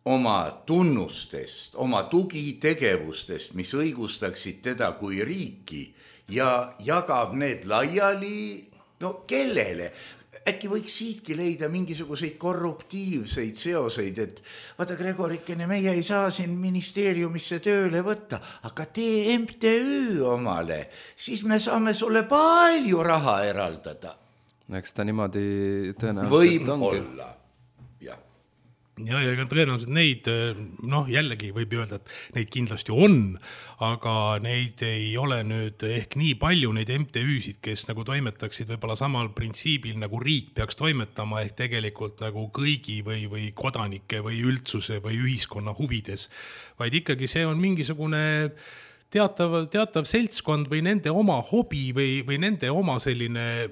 C: oma tunnustest, oma tugitegevustest, mis õigustaksid teda kui riiki ja jagab need laiali, kellele? Äkki võiks siitki leida mingisuguseid korruptiivseid seoseid, et vaata Gregorikene, meie ei saa siin ministeeriumisse tööle võtta, aga tee MTÜ omale, siis me saame sulle palju raha eraldada.
D: Eks ta niimoodi tõenäoliselt ongi.
C: Võib olla, jah.
E: Ja tõenäoliselt neid, jällegi võib öelda, et neid kindlasti on, aga neid ei ole nüüd ehk nii palju neid MTÜ-sid, kes nagu toimetaksid võib-olla samal printsiibil nagu riik peaks toimetama ehk tegelikult nagu kõigi või kodanike või üldsuse või ühiskonna huvides, vaid ikkagi see on mingisugune teatav seltskond või nende oma hobi või nende oma selline,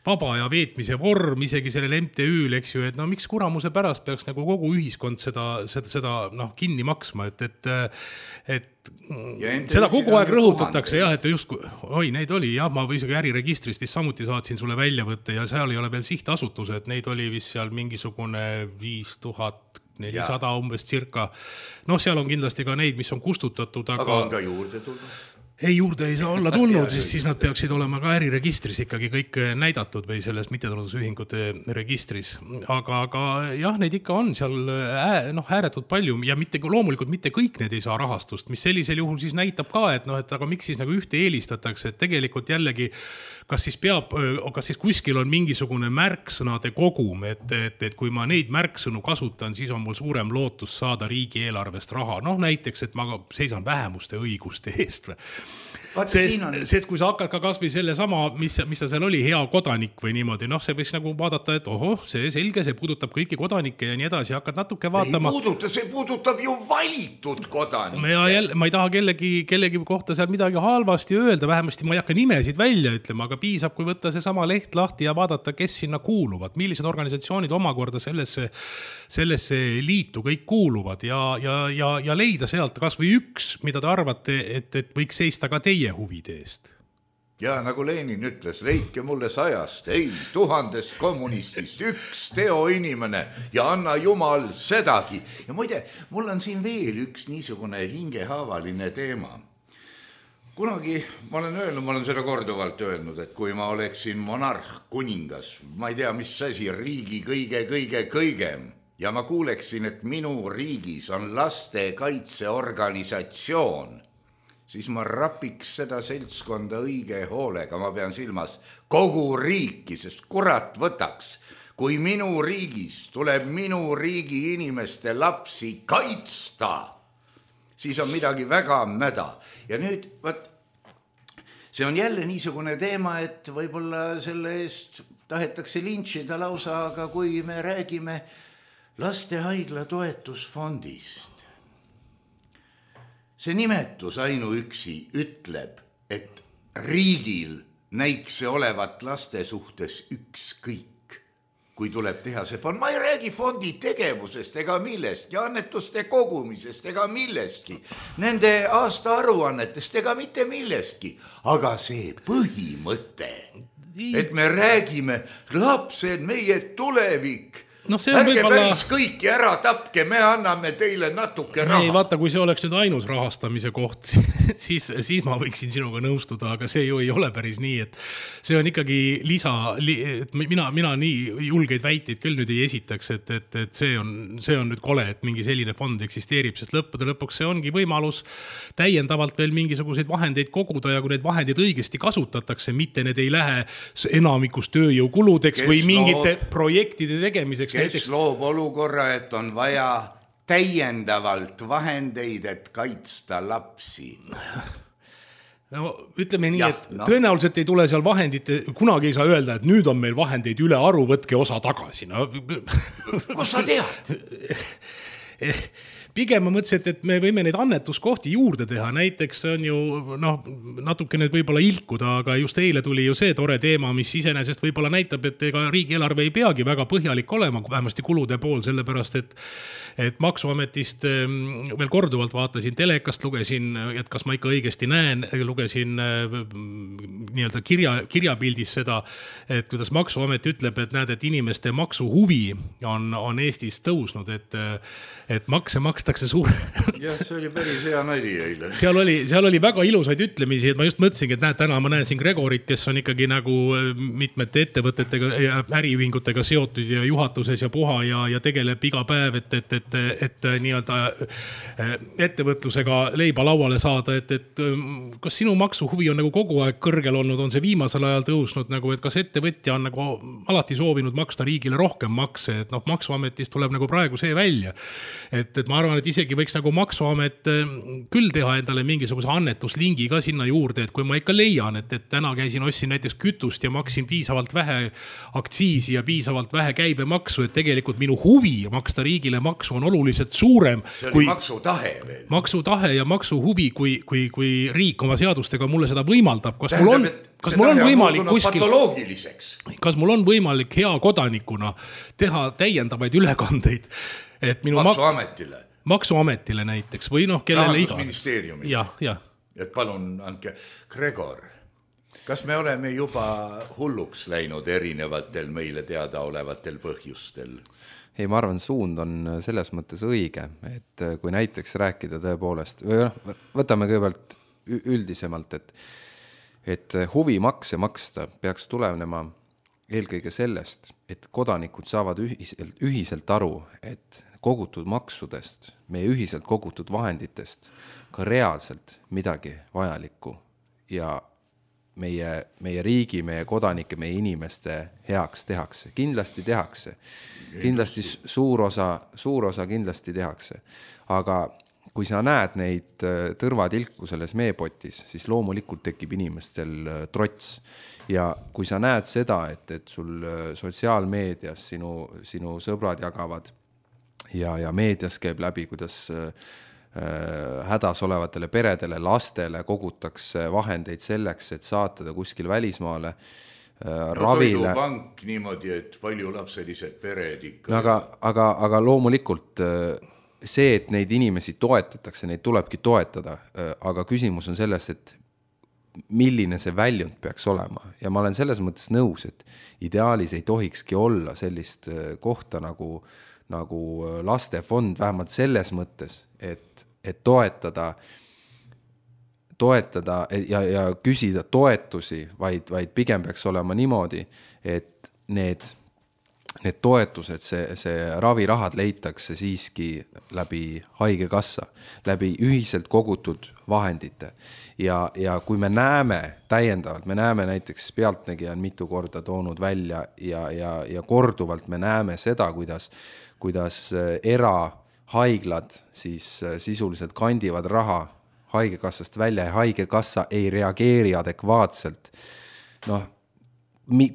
E: vaba ja veetmise vorm isegi sellel MTÜ-l, eks ju, et miks kuramuse pärast peaks nagu kogu ühiskond seda kinni maksma, et seda kogu aeg rõhutatakse, jah, et just, neid oli, jah, ma isegi äriregistrist vist samuti saatsin sulle väljavõtte ja seal ei ole veel sihtasutus, et neid oli vist seal mingisugune 5400 umbes circa. Seal on kindlasti ka neid, mis on kustutatud,
C: aga on ka juurde tulnud.
E: Ei, juurde ei saa olla tulnud, siis nad peaksid olema ka äriregistris ikkagi kõik näidatud või selles mittetulundusühingute registris. Aga jah, neid ikka on seal ääretult palju ja loomulikult mitte kõik need ei saa rahastust, mis sellisel juhul siis näitab ka, et aga miks siis nagu ühte eelistatakse, et tegelikult jällegi kas siis kuskil on mingisugune märksõnade kogum, et kui ma neid märksõnu kasutan, siis on mul suurem lootus saada riigieelarvest raha. Näiteks, et ma seisan vähemuste õiguste eest või. Sest kui sa hakkad ka kas või selle sama, mis ta seal oli, hea kodanik või niimoodi, see võiks nagu vaadata, et see selge, see puudutab kõiki kodanikke ja nii edasi, hakkad natuke vaatama.
C: See puudutab ju valitud kodanikke.
E: Ma ei taha kellegi kohta seal midagi halvasti öelda, vähemasti ma ei hakka nimesid välja ütlema, aga piisab, kui võtta see sama leht lahti ja vaadata, kes sinna kuuluvad, millised organisatsioonid omakorda sellesse liitu kõik kuuluvad ja leida sealt kas või üks, mida te arvate, et võiks seista ka teie huvide eest.
C: Ja nagu Lenin ütles, leidke mulle 100, ei 1000 kommunistist üks teoinimene ja anna Jumal sedagi. Ja muide, mul on siin veel üks niisugune hingehaavaline teema. Kunagi ma olen seda korduvalt öelnud, et kui ma oleksin monarh, kuningas, ma ei tea, mis asi, riigi kõigem, ja ma kuuleksin, et minu riigis on lastekaitseorganisatsioon, siis ma rapiks seda seltskonda õige hoolega, ma pean silmas kogu riiki, sest kurat võtaks, kui minu riigis tuleb minu riigi inimeste lapsi kaitsta, siis on midagi väga mäda. Ja nüüd, see on jälle niisugune teema, et võib-olla selle eest tahetakse lintšida lausa, aga kui me räägime lastehaigla toetusfondist, see nimetus ainuüksi ütleb, et riigil näikse olevat laste suhtes ükskõik. kui tuleb teha see fond, ma ei räägi fondi tegevusest ega millestki, annetuste kogumisest ega millestki, nende aasta aruannetest ega mitte millestki, aga see põhimõte, et me räägime, lapsed, meie tulevik, ärge päris kõiki ära tapke, me anname teile natuke raha.
E: Ei, vaata, kui see oleks nüüd ainus rahastamise koht, siis ma võiksin sinuga nõustuda, aga see ju ei ole päris nii, et see on ikkagi et mina nii julgeid väiteid küll nüüd ei esitaks, et see on nüüd kole, et mingi selline fond eksisteerib, sest lõppude lõpuks see ongi võimalus täiendavalt veel mingisuguseid vahendeid koguda ja kui need vahendid õigesti kasutatakse, mitte need ei lähe enamikus tööjõukuludeks või mingite projektide tegemiseks.
C: Kes loob olukorra, et on vaja täiendavalt vahendeid, et kaitsta lapsi?
E: No ütleme nii, et tõenäoliselt ei tule seal vahendite, kunagi ei saa öelda, et nüüd on meil vahendeid üle aru, võtke osa tagasi. No.
C: Kus sa tead?
E: Pigem ma mõtlesin, et me võime neid annetuskohti juurde teha, näiteks on ju natuke need võib-olla ilkuda, aga just eile tuli ju see tore teema, mis iseenesest võib-olla näitab, et ega riigieelarve ei peagi väga põhjalik olema, vähemasti kulude pool, sellepärast et Maksuametist veel korduvalt vaatasin telekast, lugesin, et kas ma ikka õigesti näen, lugesin nii-öelda kirjapildis seda, et kuidas Maksuamet ütleb, et näed, et inimeste maksuhuvi on Eestis tõusnud, et makse makstakse suur.
C: Jah, see oli päris hea nali eile.
E: Seal oli väga ilusaid ütlemisi, et ma just mõtlesingi, et näed, täna ma näen siin Gregorit, kes on ikkagi nagu mitmete ettevõtetega ja äriühingutega seotud ja juhatuses ja puha ja tegeleb iga päev, et nii-öelda ettevõtlusega leiba lauale saada, et kas sinu maksuhuvi on nagu kogu aeg kõrgel olnud, on see viimasel ajal tõusnud, nagu, et kas ettevõtja on nagu alati soovinud maksta riigile rohkem makse, et Maksuametist tuleb nagu praegu see välja, et ma arvan, et isegi võiks nagu Maksuamet küll teha endale mingisuguse annetuslingi ka sinna juurde, et kui ma ikka leian, et täna ostsin näiteks kütust ja maksin piisavalt vähe aktsiisi ja piisavalt vähe käibemaksu, et tegelikult minu huvi maksta riigile maksu on oluliselt suurem.
C: See oli maksutahe veel.
E: Maksutahe ja maksuhuvi, kui riik oma seadustega mulle seda võimaldab. Kas mul on võimalik kas mul on võimalik hea kodanikuna teha täiendavaid ülekandeid? Et minu Maksuametile näiteks või kellele iga.
C: Rahandusministeeriumile.
E: Ja.
C: Et palun andke. Gregor, kas me oleme juba hulluks läinud erinevatel meile teada olevatel põhjustel?
D: Ei, ma arvan, suund on selles mõttes õige, et kui näiteks rääkida tõepoolest, võtame kõigepealt üldisemalt, et huvimakse maksta peaks tulenema eelkõige sellest, et kodanikud saavad ühiselt aru, et kogutud maksudest, meie ühiselt kogutud vahenditest ka reaalselt midagi vajalikku ja meie riigi, meie kodanike, meie inimeste heaks tehakse. Kindlasti tehakse. Kindlasti suur osa kindlasti tehakse. Aga kui sa näed neid tõrvatilku selles meepotis, siis loomulikult tekib inimestel trots. Ja kui sa näed seda, et sul sotsiaalmeedias sinu sõbrad jagavad ja meedias käib läbi, kuidas hädas olevatele peredele, lastele kogutakse vahendeid selleks, et saatada kuskil välismaale ravile.
C: Toidupank niimoodi, et paljulapselised pered ikka.
D: Aga loomulikult see, et neid inimesi toetatakse, neid tulebki toetada, aga küsimus on selles, et milline see väljund peaks olema. Ja ma olen selles mõttes nõus, et ideaalis ei tohikski olla sellist kohta nagu lastefond, vähemalt selles mõttes, et toetada ja küsida toetusi, vaid pigem peaks olema niimoodi, et need toetused, see ravirahad leitakse siiski läbi haigekassa, läbi ühiselt kogutud vahendite. Ja kui me näeme täiendavalt, me näeme näiteks Pealtnägija on mitu korda toonud välja ja korduvalt me näeme seda, kuidas erahaiglad siis sisuliselt kandivad raha haigekassast välja ja haigekassa ei reageeri adekvaatselt.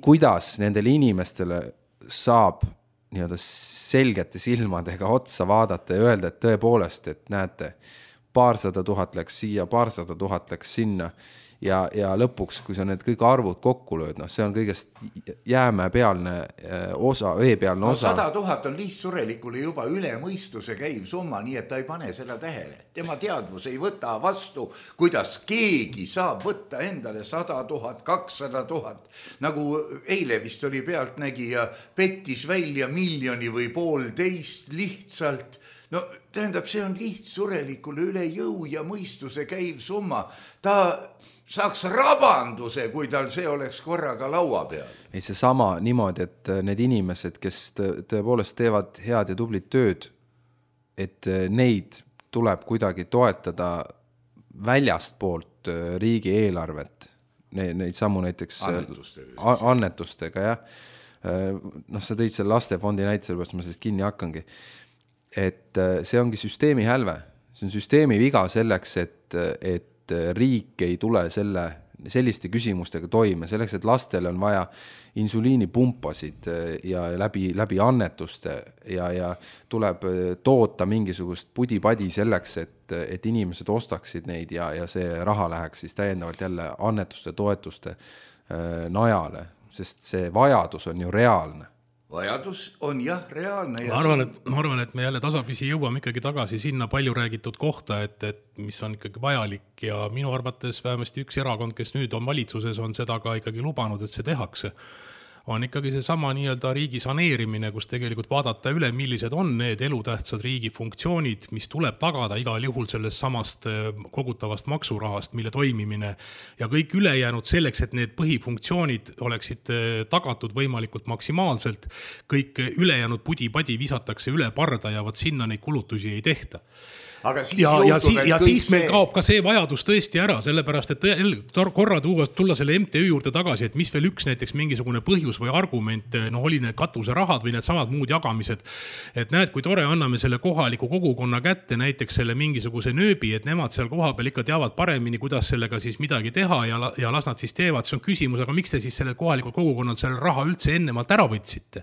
D: Kuidas nendele inimestele saab nii-öelda selgete silmadega otsa vaadata ja öelda, et tõepoolest, et näete, 200 000 läks siia, 200 000 läks sinna ja lõpuks, kui sa need kõik arvud kokku lööd, see on kõigest jäämäepealne osa, veepealne osa.
C: 100 000 on lihtsurelikule juba üle mõistuse käiv summa, nii et ta ei pane seda tähele. Tema teadvus ei võta vastu, kuidas keegi saab võtta endale 100 000, 200 000. Nagu eile vist oli pealtnägija, pettis välja 1 miljoni või 1,5 lihtsalt. No tähendab, see on lihtsurelikule üle jõu ja mõistuse käiv summa. Ta saaks rabanduse, kui tal see oleks korraga laua peal.
D: Ei, see sama niimoodi, et need inimesed, kes tõepoolest teevad head ja tublit tööd, et neid tuleb kuidagi toetada väljast poolt riigi eelarvet. Neid samu näiteks annetustega, jah. Sa tõid selle lastefondi näite, sellepärast ma sellest kinni hakkangi. Et see ongi süsteemi hälve. See on süsteemi viga selleks, et riik ei tule selliste küsimustega toime. Selleks, et lastele on vaja insuliinipumpasid ja läbi annetuste ja tuleb toota mingisugust pudi-padi selleks, et inimesed ostaksid neid ja see raha läheks siis täiendavalt jälle annetuste, toetuste najale, sest see vajadus on ju reaalne.
C: Vajadus on jah reaalne.
E: Ma arvan, et me jälle tasapisi jõuame ikkagi tagasi sinna palju räägitud kohta, et mis on ikkagi vajalik ja minu arvates vähemasti üks erakond, kes nüüd on valitsuses, on seda ka ikkagi lubanud, et see tehakse. On ikkagi see sama nii-öelda riigi saneerimine, kus tegelikult vaadata üle, millised on need elutähtsad riigi funktsioonid, mis tuleb tagada igal juhul sellest samast kogutavast maksurahast, mille toimimine ja kõik ülejäänud selleks, et need põhifunktsioonid oleksid tagatud võimalikult maksimaalselt, kõik ülejäänud pudi-padi visatakse üle parda ja sinna neid kulutusi ei tehta.
C: Aga siis
E: ja siis meil kaob ka see vajadus tõesti ära, sellepärast, et korra tulla selle MTÜ juurde tagasi, et mis veel üks näiteks mingisugune põhjus või argument, oli need katuserahad või need samad muud jagamised, et näed, kui tore anname selle kohaliku kogukonna kätte näiteks selle mingisuguse nööbi, et nemad seal koha peal ikka teavad paremini, kuidas sellega siis midagi teha ja las nad siis teevad, see on küsimus, aga miks te siis selle kohalikult kogukonnalt selle raha üldse ennemalt ära võtsite?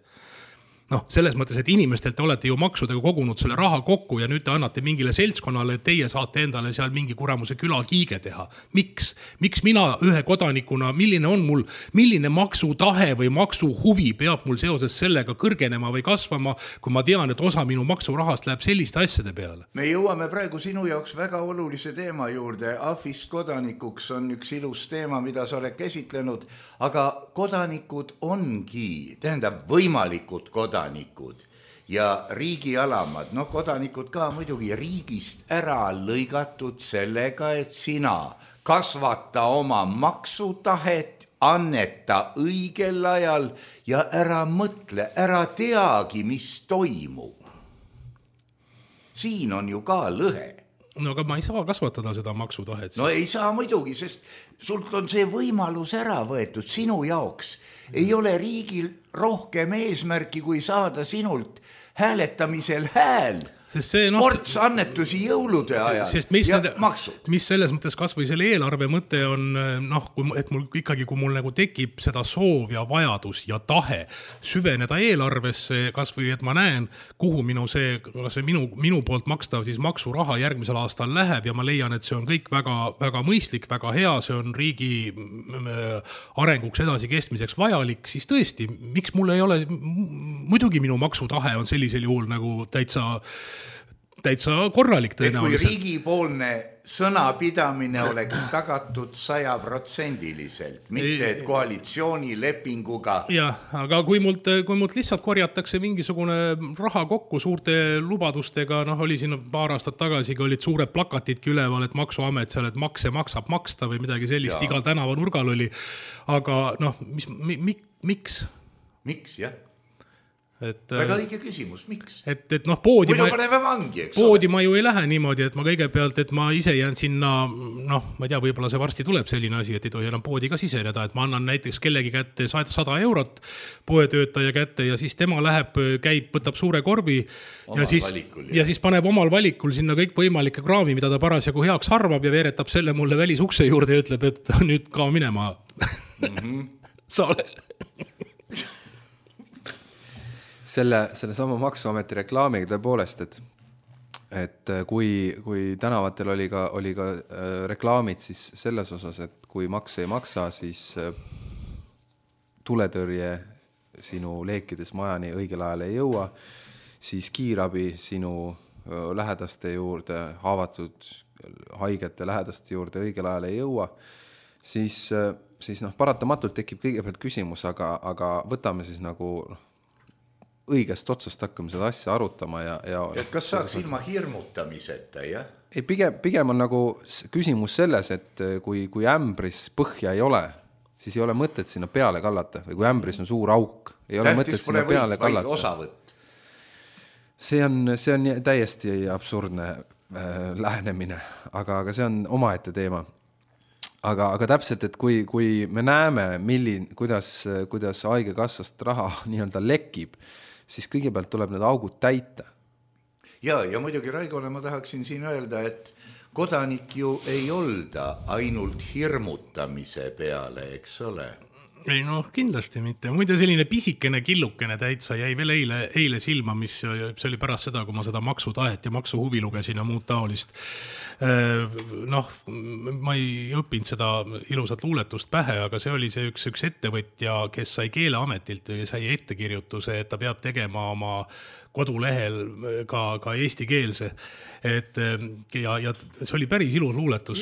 E: Selles mõttes, et inimestelt te olete ju maksudega kogunud selle raha kokku ja nüüd te annate mingile seltskonnale, et teie saate endale seal mingi kuramuse külakiige teha. Miks mina ühe kodanikuna, milline maksutahe või maksuhuvi peab mul seoses sellega kõrgenema või kasvama, kui ma tean, et osa minu maksurahast läheb selliste asjade peale?
C: Me jõuame praegu sinu jaoks väga olulise teema juurde. Ahvist kodanikuks on üks ilus teema, mida sa oled käsitlenud, aga kodanikud ongi, tähendab võimalikud kodanikud ja riigi alamad, kodanikud ka muidugi riigist ära lõigatud sellega, et sina kasvata oma maksutahet, anneta õigel ajal ja ära mõtle, ära teagi, mis toimub. Siin on ju ka lõhe.
E: Aga ma ei saa kasvatada seda maksutahet.
C: No ei saa muidugi, sest sult on see võimalus ära võetud sinu jaoks. Ei ole riigil rohkem eesmärki, kui saada sinult hääletamisel hääl. Ports annetusi jõulude ajal ja maksud.
E: Mis selles mõttes kas või selle eelarve mõte on, et kui mul nagu tekib seda soov ja vajadus ja tahe süveneda eelarvesse, kas või et ma näen, kuhu minu poolt makstav siis maksuraha järgmisel aastal läheb ja ma leian, et see on kõik väga, väga mõistlik, väga hea, see on riigi arenguks edasi kestmiseks vajalik, siis tõesti, miks mul ei ole, muidugi minu maksutahe on sellisel juhul nagu täitsa korralik tõenäoliselt.
C: Kui riigipoolne sõnapidamine oleks tagatud 100%, mitte et koalitsioonilepinguga.
E: Jah, aga kui mult lihtsalt korjatakse mingisugune raha kokku suurte lubadustega, oli siin paar aastat tagasi, kui olid suured plakatidki üleval, et maksuamet seal, et makse maksab maksta või midagi sellist, igal tänava nurgal oli. Aga miks?
C: Miks, jah? Väga õige küsimus, miks?
E: Poodi
C: ma
E: ju ei lähe niimoodi, et ma kõigepealt, et ma ise jään sinna, ma ei tea, võib-olla see varsti tuleb selline asi, et ei tohi enam poodi ka siseneda, et ma annan näiteks kellegi kätte 100 eurot poetöötaja kätte ja siis tema läheb, käib, võtab suure korvi ja siis paneb omal valikul sinna kõik võimalike kraami, mida ta parasjagu heaks arvab ja veeretab selle mulle välisukse juurde ja ütleb, et nüüd ka minema. Sa ole...
D: Selle sama maksuameti reklaamiga tõepoolest, et et kui tänavatel oli ka reklaamid siis selles osas, et kui makse ei maksa, siis tuletõrje sinu leekides majani õigel ajal ei jõua, siis kiirabi sinu lähedaste juurde, haavatud haigete lähedaste juurde õigel ajal ei jõua, siis paratamatult tekib kõigepealt küsimus, aga võtame siis nagu õigest otsast hakkame seda asja arutama
C: et kas saaks ilma hirmutamiseta, jah?
D: Ei, pigem on nagu küsimus selles, et kui ämbris põhja ei ole, siis ei ole mõtet sinna peale kallata või kui ämbris on suur auk, ei ole mõtet sinna peale kallata. See on täiesti absurdne lähenemine, aga see on omaette teema. Aga täpselt, et kui me näeme, kuidas haigekassast raha nii-öelda lekib, siis kõigepealt tuleb need augud täita.
C: Ja muidugi Raigole ma tahaksin siin öelda, et kodanik ju ei olda ainult hirmutamise peale, eks ole?
E: Ei kindlasti mitte. Muide selline pisikene killukene täitsa jäi veel eile silma, mis see oli pärast seda, kui ma seda maksutahet ja maksuhuvi lugesin ja muud taolist. Ma ei õppinud seda ilusat luuletust pähe, aga see oli see üks ettevõtja, kes sai Keeleametilt ja sai ettekirjutuse, et ta peab tegema oma kodulehel ka eestikeelse. Ja see oli päris ilus luuletus.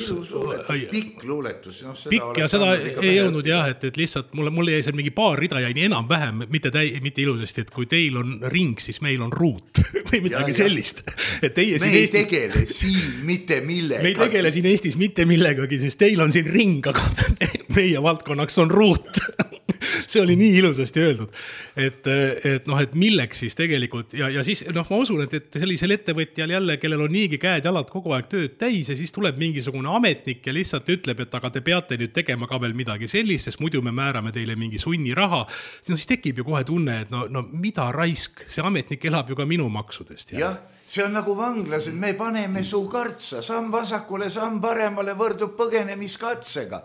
C: Pikk luuletus.
E: Pikk ja seda ei jõudnud jah, et lihtsalt mul jäi seal mingi paar rida jäi nii enam vähem, mitte ilusasti, et kui teil on ring, siis meil on ruut või midagi sellist.
C: Me ei tegele siin mitte millegagi.
E: Me ei tegele siin Eestis mitte millegagi, sest teil on siin ring, aga meie valdkonnaks on ruut. See oli nii ilusasti öeldud, et milleks siis tegelikult ja siis ma usun, et sellisel ettevõtjal jälle, kellel on niigi käed jalad kogu aeg tööd täis ja siis tuleb mingisugune ametnik ja lihtsalt ütleb, et aga te peate nüüd tegema ka veel midagi sellist, sest muidu me määrame teile mingi sunniraha. Siis tekib ju kohe tunne, et mida raisk, see ametnik elab ju ka minu maksudest.
C: Jah. See on nagu vanglas, me paneme su kartsa, samm vasakule, samm paremale võrdub põgenemiskatsega.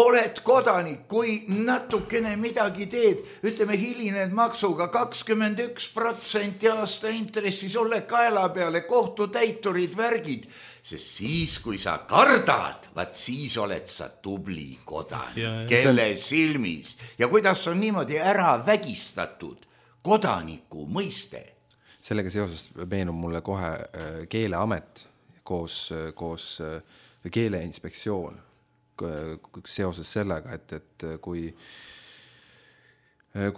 C: Oled kodanik, kui natukene midagi teed, ütleme hilined maksuga 21% aasta intressis, ole kaela peale, kohtutäiturid, värgid. Sest siis, kui sa kardad, siis oled sa tubli kodanik, kelle silmis. Ja kuidas on niimoodi ära vägistatud kodaniku mõiste?
D: Sellega seoses meenub mulle kohe Keeleamet koos Keeleinspektsioon seoses sellega, et kui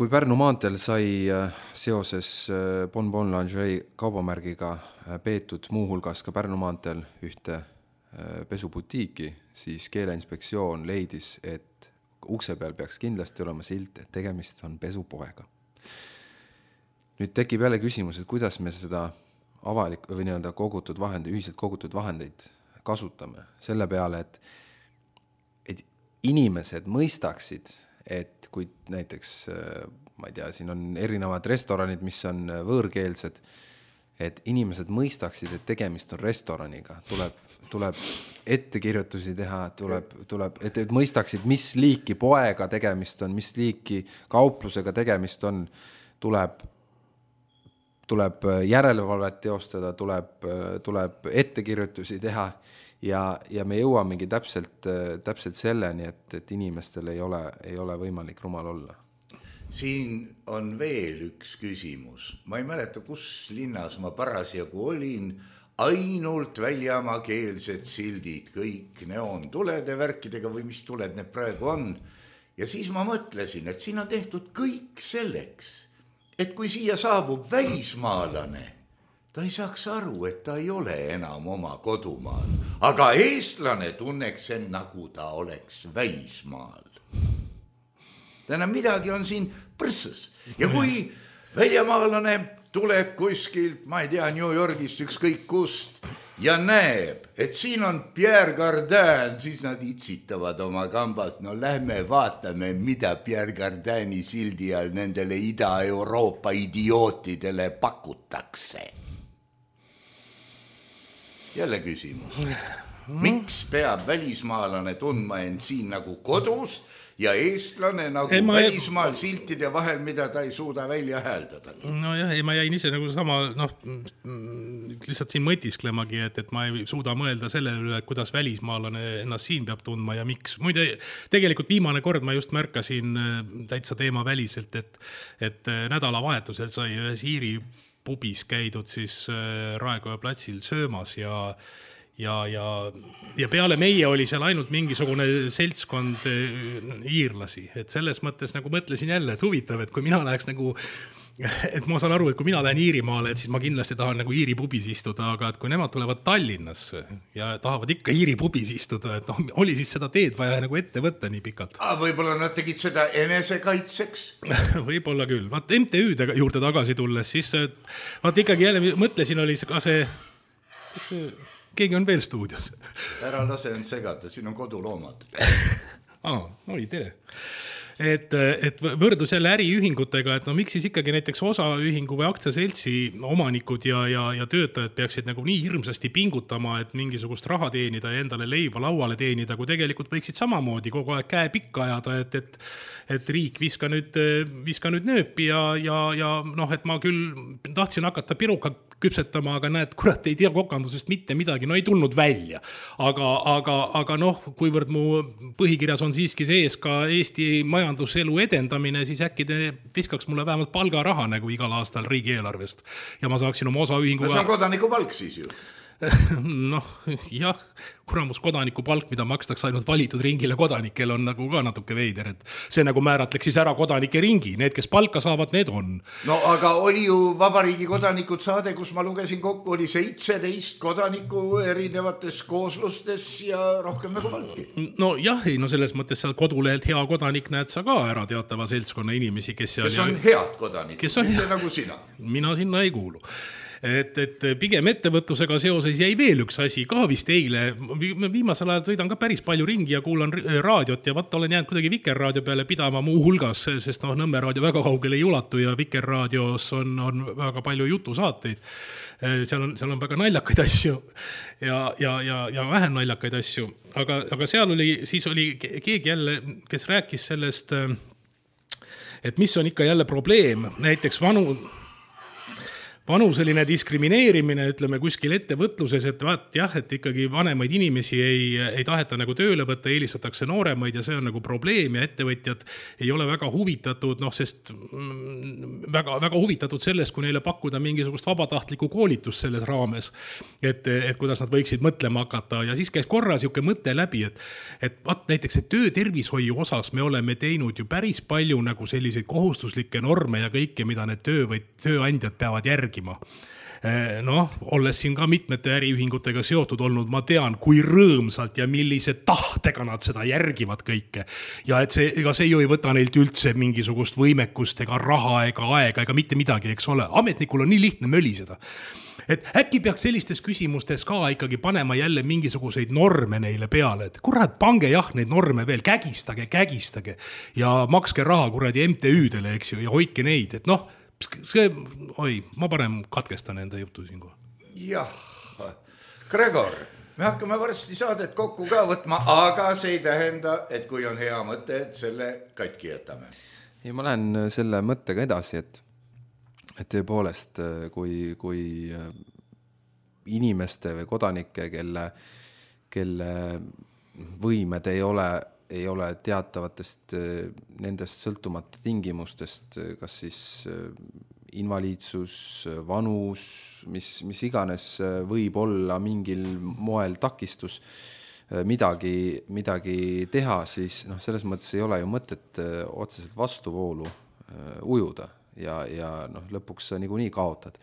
D: Pärnu maanteel sai seoses Bon Lingerie kaubamärgiga peetud muuhulgas ka Pärnu maanteel ühte pesubutiiki, siis Keeleinspektsioon leidis, et ukse peal peaks kindlasti olema silt, et tegemist on pesupoega. Nüüd tekib jälle küsimus, et kuidas me seda või nii-öelda ühiselt kogutud vahendeid kasutame selle peale, et inimesed mõistaksid, et kui näiteks, ma ei tea, siin on erinevad restoranid, mis on võõrkeelsed, et inimesed mõistaksid, et tegemist on restoraniga, tuleb ettekirjutusi teha, et mõistaksid, mis liiki poega tegemist on, mis liiki kauplusega tegemist on, tuleb järelevalvet teostada, tuleb ettekirjutusi teha ja me jõuamegi täpselt selleni, et inimestel ei ole võimalik rumal olla.
C: Siin on veel üks küsimus. Ma ei mäleta, kus linnas ma parasjagu olin, ainult väljamaakeelsed sildid, kõik neoontulede värkidega või mis tuled need praegu on. Ja siis ma mõtlesin, et siin on tehtud kõik selleks, et kui siia saabub välismaalane, ta ei saaks aru, et ta ei ole enam oma kodumaal. Aga eestlane tunneks end, nagu ta oleks välismaal. Täna midagi on siin põrssas. Ja kui väljamaalane tuleb kuskilt, ma ei tea, New Yorgist ükskõik kust, ja näeb, et siin on Pierre Cardin, siis nad itsitavad oma kambas. No lähme vaatame, mida Pierre Cardini sildi all nendele Ida-Euroopa idiootidele pakutakse. Jälle küsimus. Miks peab välismaalane tundma end siin nagu kodus ja eestlane nagu välismaal siltide vahel, mida ta ei suuda välja hääldada?
E: No jah, ma jäin ise nagu sama, lihtsalt siin mõtisklemagi, et ma ei suuda mõelda selle üle, kuidas välismaalane ennast siin peab tundma ja miks. Muide, tegelikult viimane kord ma just märkasin täitsa teema väliselt, et nädalavahetusel sai ühes Iiri pubis käidud siis Raekoja platsil söömas ja peale meie oli seal ainult mingisugune seltskond iirlasi, et selles mõttes nagu mõtlesin jälle, et huvitav, et kui mina läheks nagu, et ma saan aru, et kui mina lähen Iirimaale, et siis ma kindlasti tahan nagu Iiri pubis istuda, aga et kui nemad tulevad Tallinnasse ja tahavad ikka Iiri pubis istuda, et oli siis seda teed vaja nagu ette võtta nii pikalt.
C: Võib-olla nad tegid seda enesekaitseks?
E: Võib-olla küll. Vaat MTÜ-de juurde tagasi tulles, siis vaat ikkagi jälle mõtlesin, oli ka see keegi on veel stuudios.
C: Ära lase end segada, siin on koduloomad.
E: Oi, tere. Et võrdus jälle äriühingutega, et miks siis ikkagi näiteks osaühingu või aktsiaseltsi omanikud ja töötajad peaksid nagu nii hirmsasti pingutama, et mingisugust raha teenida ja endale leiba lauale teenida, kui tegelikult võiksid samamoodi kogu aeg käe pikka ajada, et riik viska nüüd nööpi ja et ma küll tahtsin hakata piruka küpsetama, aga näed, kurat ei tea kokandusest mitte midagi, ei tulnud välja. Aga kuivõrd mu põhikirjas on siiski sees ka Eesti majanduselu edendamine, siis äkki te viskaks mulle vähemalt palgaraha nagu igal aastal riigieelarvest ja ma saaksin oma osaühingu...
C: See on kodanikupalk siis ju.
E: Jah, kuramus kodanikupalk, mida makstakse ainult valitud ringile kodanikel, on nagu ka natuke veider, et see nagu määratleks siis ära kodanike ringi, need, kes palka saavad, need on.
C: No aga oli ju Vabariigi kodanikud saade, kus ma lugesin kokku, oli 17 kodaniku erinevates kooslustes ja rohkem nagu palki.
E: No jah, selles mõttes seal kodulehelt hea kodanik näed sa ka ära teatava seltskonna inimesi, kes
C: on head kodanikud, mitte nagu sina.
E: Mina sinna ei kuulu. Et pigem ettevõtlusega seoses jäi veel üks asi ka vist eile. Viimasel ajal sõidan ka päris palju ringi ja kuulan raadiot ja vaata olen jäänud kuidagi Vikerraadio peale pidama muu hulgas, sest Nõmme raadio väga kaugele ei ulatu ja Vikerraadios on väga palju jutusaateid. Seal on väga naljakaid asju ja vähem naljakaid asju, aga seal siis oli keegi jälle, kes rääkis sellest, et mis on ikka jälle probleem, näiteks vanuseline diskrimineerimine, ütleme kuskil ettevõtluses, et vaat jah, et ikkagi vanemaid inimesi ei taheta nagu tööle võtta, eelistatakse nooremaid ja see on nagu probleem ja ettevõtjad ei ole väga huvitatud, sest väga, väga huvitatud sellest, kui neile pakkuda mingisugust vabatahtlikku koolitust selles raames, et kuidas nad võiksid mõtlema hakata ja siis käis korra siuke mõte läbi, et vaat näiteks, et töötervishoiu osas me oleme teinud ju päris palju nagu selliseid kohustuslikke norme ja kõike, mida need tööandjad peavad järgi. Olles siin ka mitmete äriühingutega seotud olnud, ma tean, kui rõõmsalt ja millise tahtega nad seda järgivad kõike. Ja et ega see ju ei võta neilt üldse mingisugust võimekust ega raha ega aega ega mitte midagi, eks ole. Ametnikul on nii lihtne möliseda. Et äkki peaks sellistes küsimustes ka ikkagi panema jälle mingisuguseid norme neile peale, et kurat, pange jah neid norme veel, kägistage ja makske raha kuradi MTÜ-dele, eks ju, ja hoidke neid, et ma parem katkestan enda jutu siinkohal.
C: Jah, Gregor, me hakkame varsti saadet kokku ka võtma, aga see ei tähenda, et kui on hea mõte, et selle katki jätame.
D: Ja ma lähen selle mõttega edasi, et tõepoolest, kui inimeste või kodanike, kelle võimed ei ole teatavatest nendest sõltumata tingimustest, kas siis invaliidsus, vanus, mis iganes võib olla mingil moel takistus midagi teha, siis selles mõttes ei ole ju mõtet otseselt vastuvoolu ujuda ja lõpuks sa niikuinii kaotad.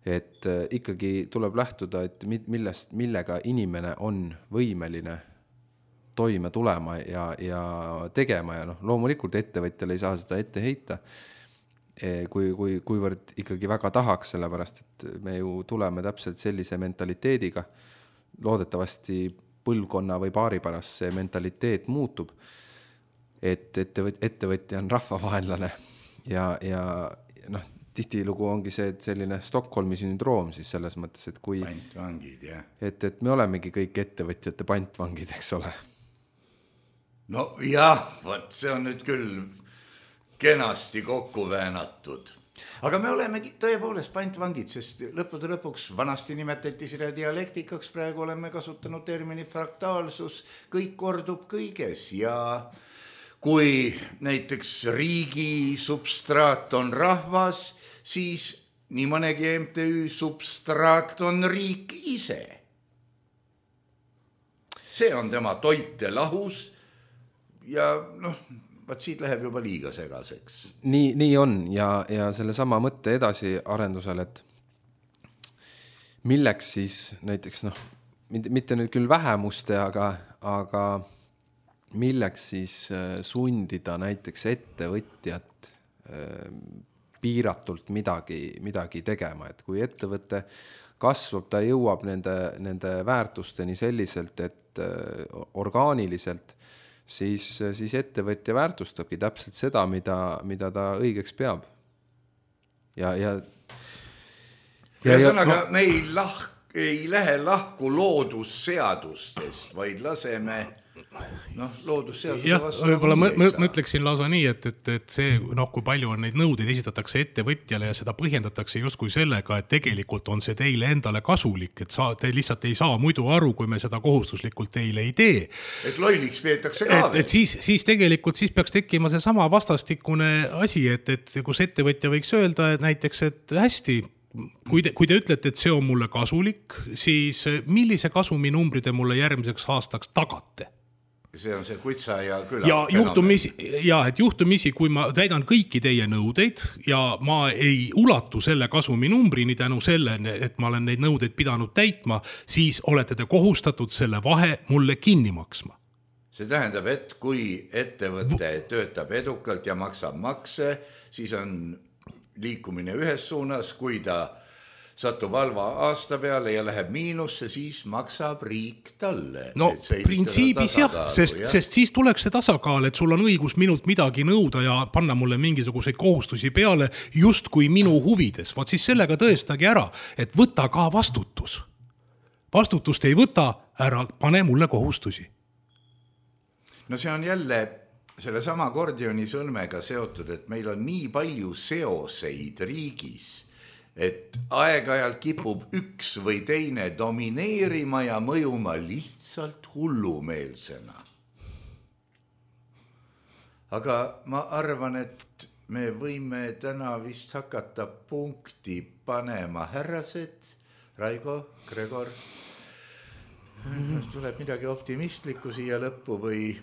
D: Et ikkagi tuleb lähtuda, et millega inimene on võimeline toime tulema ja tegema ja loomulikult ettevõtjale ei saa seda ette heita, kuivõrd ikkagi väga tahaks, sellepärast et me ju tuleme täpselt sellise mentaliteediga, loodetavasti põlvkonna või paari pärast see mentaliteet muutub, et ettevõtja on rahvavaenlane ja tihtilugu ongi see, et selline Stockholmi sündroom siis selles mõttes, et kui
C: pantvangid, jah.
D: Et me olemegi kõik ettevõtjate pantvangid, eks ole.
C: No jah, võt, see on nüüd küll kenasti kokku väänatud. Aga me olemegi tõepoolest pantvangid, sest lõppude lõpuks vanasti nimetati seda dialektikaks, praegu oleme kasutanud termini fraktaalsus, kõik kordub kõiges ja kui näiteks riigi substraat on rahvas, siis nii mõnegi MTÜ substraat on riik ise. See on tema toitelahus ja vaat siit läheb juba liiga segaseks.
D: Nii on ja selle sama mõtte edasi arendusel, et milleks siis näiteks, mitte nüüd küll vähemuste, aga milleks siis sundida näiteks ettevõtjat piiratult midagi tegema, et kui ettevõte kasvab, ta jõuab nende väärtusteni selliselt, et orgaaniliselt, siis ettevõtja väärtustabki täpselt seda, mida ta õigeks peab.
C: Ühesõnaga, me ei lähe lahku loodusseadustest, vaid laseme loodusseaduse vastu.
E: Võib-olla mõtleksin lausa nii, et see, kui palju on neid nõudeid esitatakse ettevõtjale ja seda põhjendatakse justkui sellega, et tegelikult on see teile endale kasulik, et te lihtsalt ei saa muidu aru, kui me seda kohustuslikult teile ei tee.
C: Et lolliks peetakse ka veel.
E: Et siis tegelikult peaks tekkima see sama vastastikune asi, et kus ettevõtja võiks öelda, et näiteks, et hästi, kui te ütlete, et see on mulle kasulik, siis millise kasuminumbri te mulle järgmiseks aastaks tagate?
C: See on see kutsa ja küla.
E: Et juhtumisi, kui ma täidan kõiki teie nõudeid ja ma ei ulatu selle kasuminumbrini tänu selle, et ma olen neid nõudeid pidanud täitma, siis olete te kohustatud selle vahe mulle kinni maksma.
C: See tähendab, et kui ettevõte töötab edukalt ja maksab makse, siis on liikumine ühes suunas, kui ta satub halva aasta peale ja läheb miinusse, siis maksab riik talle.
E: No printsiibis jah, sest siis tuleks see tasakaal, et sul on õigus minult midagi nõuda ja panna mulle mingisuguseid kohustusi peale just kui minu huvides. Vaat siis sellega tõestagi ära, et võta ka vastutus. Vastutust ei võta, ära pane mulle kohustusi.
C: No see on jälle selle sama akordioni sõlmega seotud, et meil on nii palju seoseid riigis, et aeg-ajalt kipub üks või teine domineerima ja mõjuma lihtsalt hullumeelsena. Aga ma arvan, et me võime täna vist hakata punkti panema. Härrased, Raigo, Gregor, tuleb midagi optimistlikku siia lõppu või?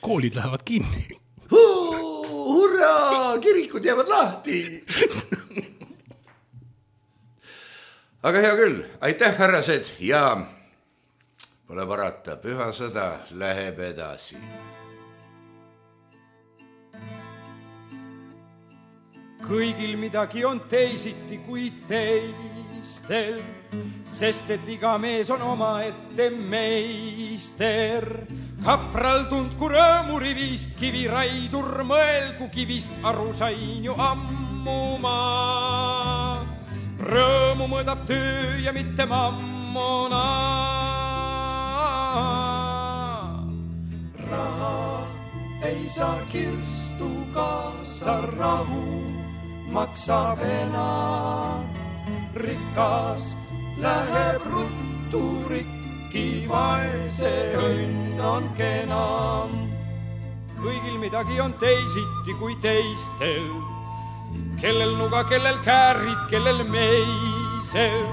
E: Koolid lähevad kinni.
C: Hurraa, kirikud jäävad lahti. Aga hea küll, aitäh härrased ja pole parata, püha sõda läheb edasi.
F: Kõigil midagi on teisiti kui teistel, sest et iga mees on oma ette meister. Kapral tundku rõõmurivist, kiviraidur mõelgu kivist, aru sain ju ammu ma. Rõõmu mõõdab töö ja mitte mammona. Raha ei saa kirstu kaasa, rahu maksab enam. Rikast läheb ruttu rikki, vaese õnn on kenam. Kõigil midagi on teisiti kui teistel, kellel nuga, kellel käärid, kellel meisel.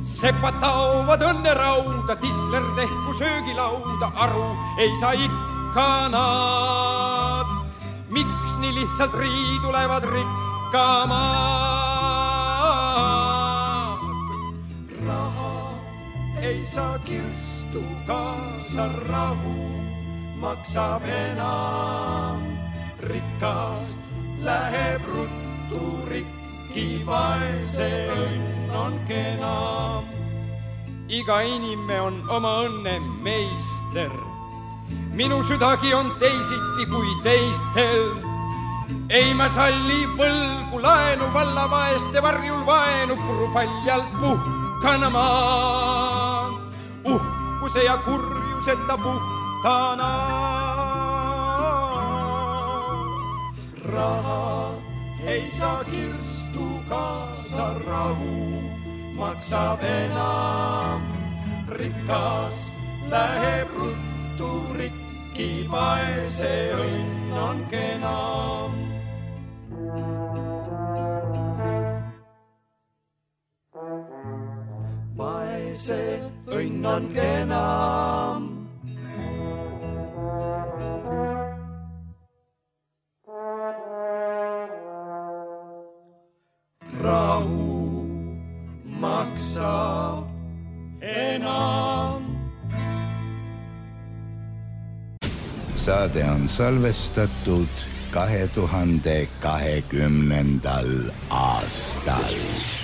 F: Sepad taovad õnne rauda, tisler tehku söögilauda, aru ei saa ikka nad. Miks nii lihtsalt riidu lähevad rikkamad? Raha ei saa kirstu kaasa, rahu maksab enam. Rikast läheb ruttu rikki, vaese õnn on kenam. Iga inime on oma õnne meister, minu südagi on teisiti kui teistel. ei ma salli võlgu laenu vallavaeste varjul vaenu purupaljalt puhkana maan. Uhkuse ja kurjuseta puhtana. Raha ei saa kirstu kaasa rahu, maksab enam. Rikas läheb ruttu rikki, vaese õnn on kenam. Vaese õnn on kenam. Rahu maksab enam.
G: Saade on salvestatud 2020. aastal.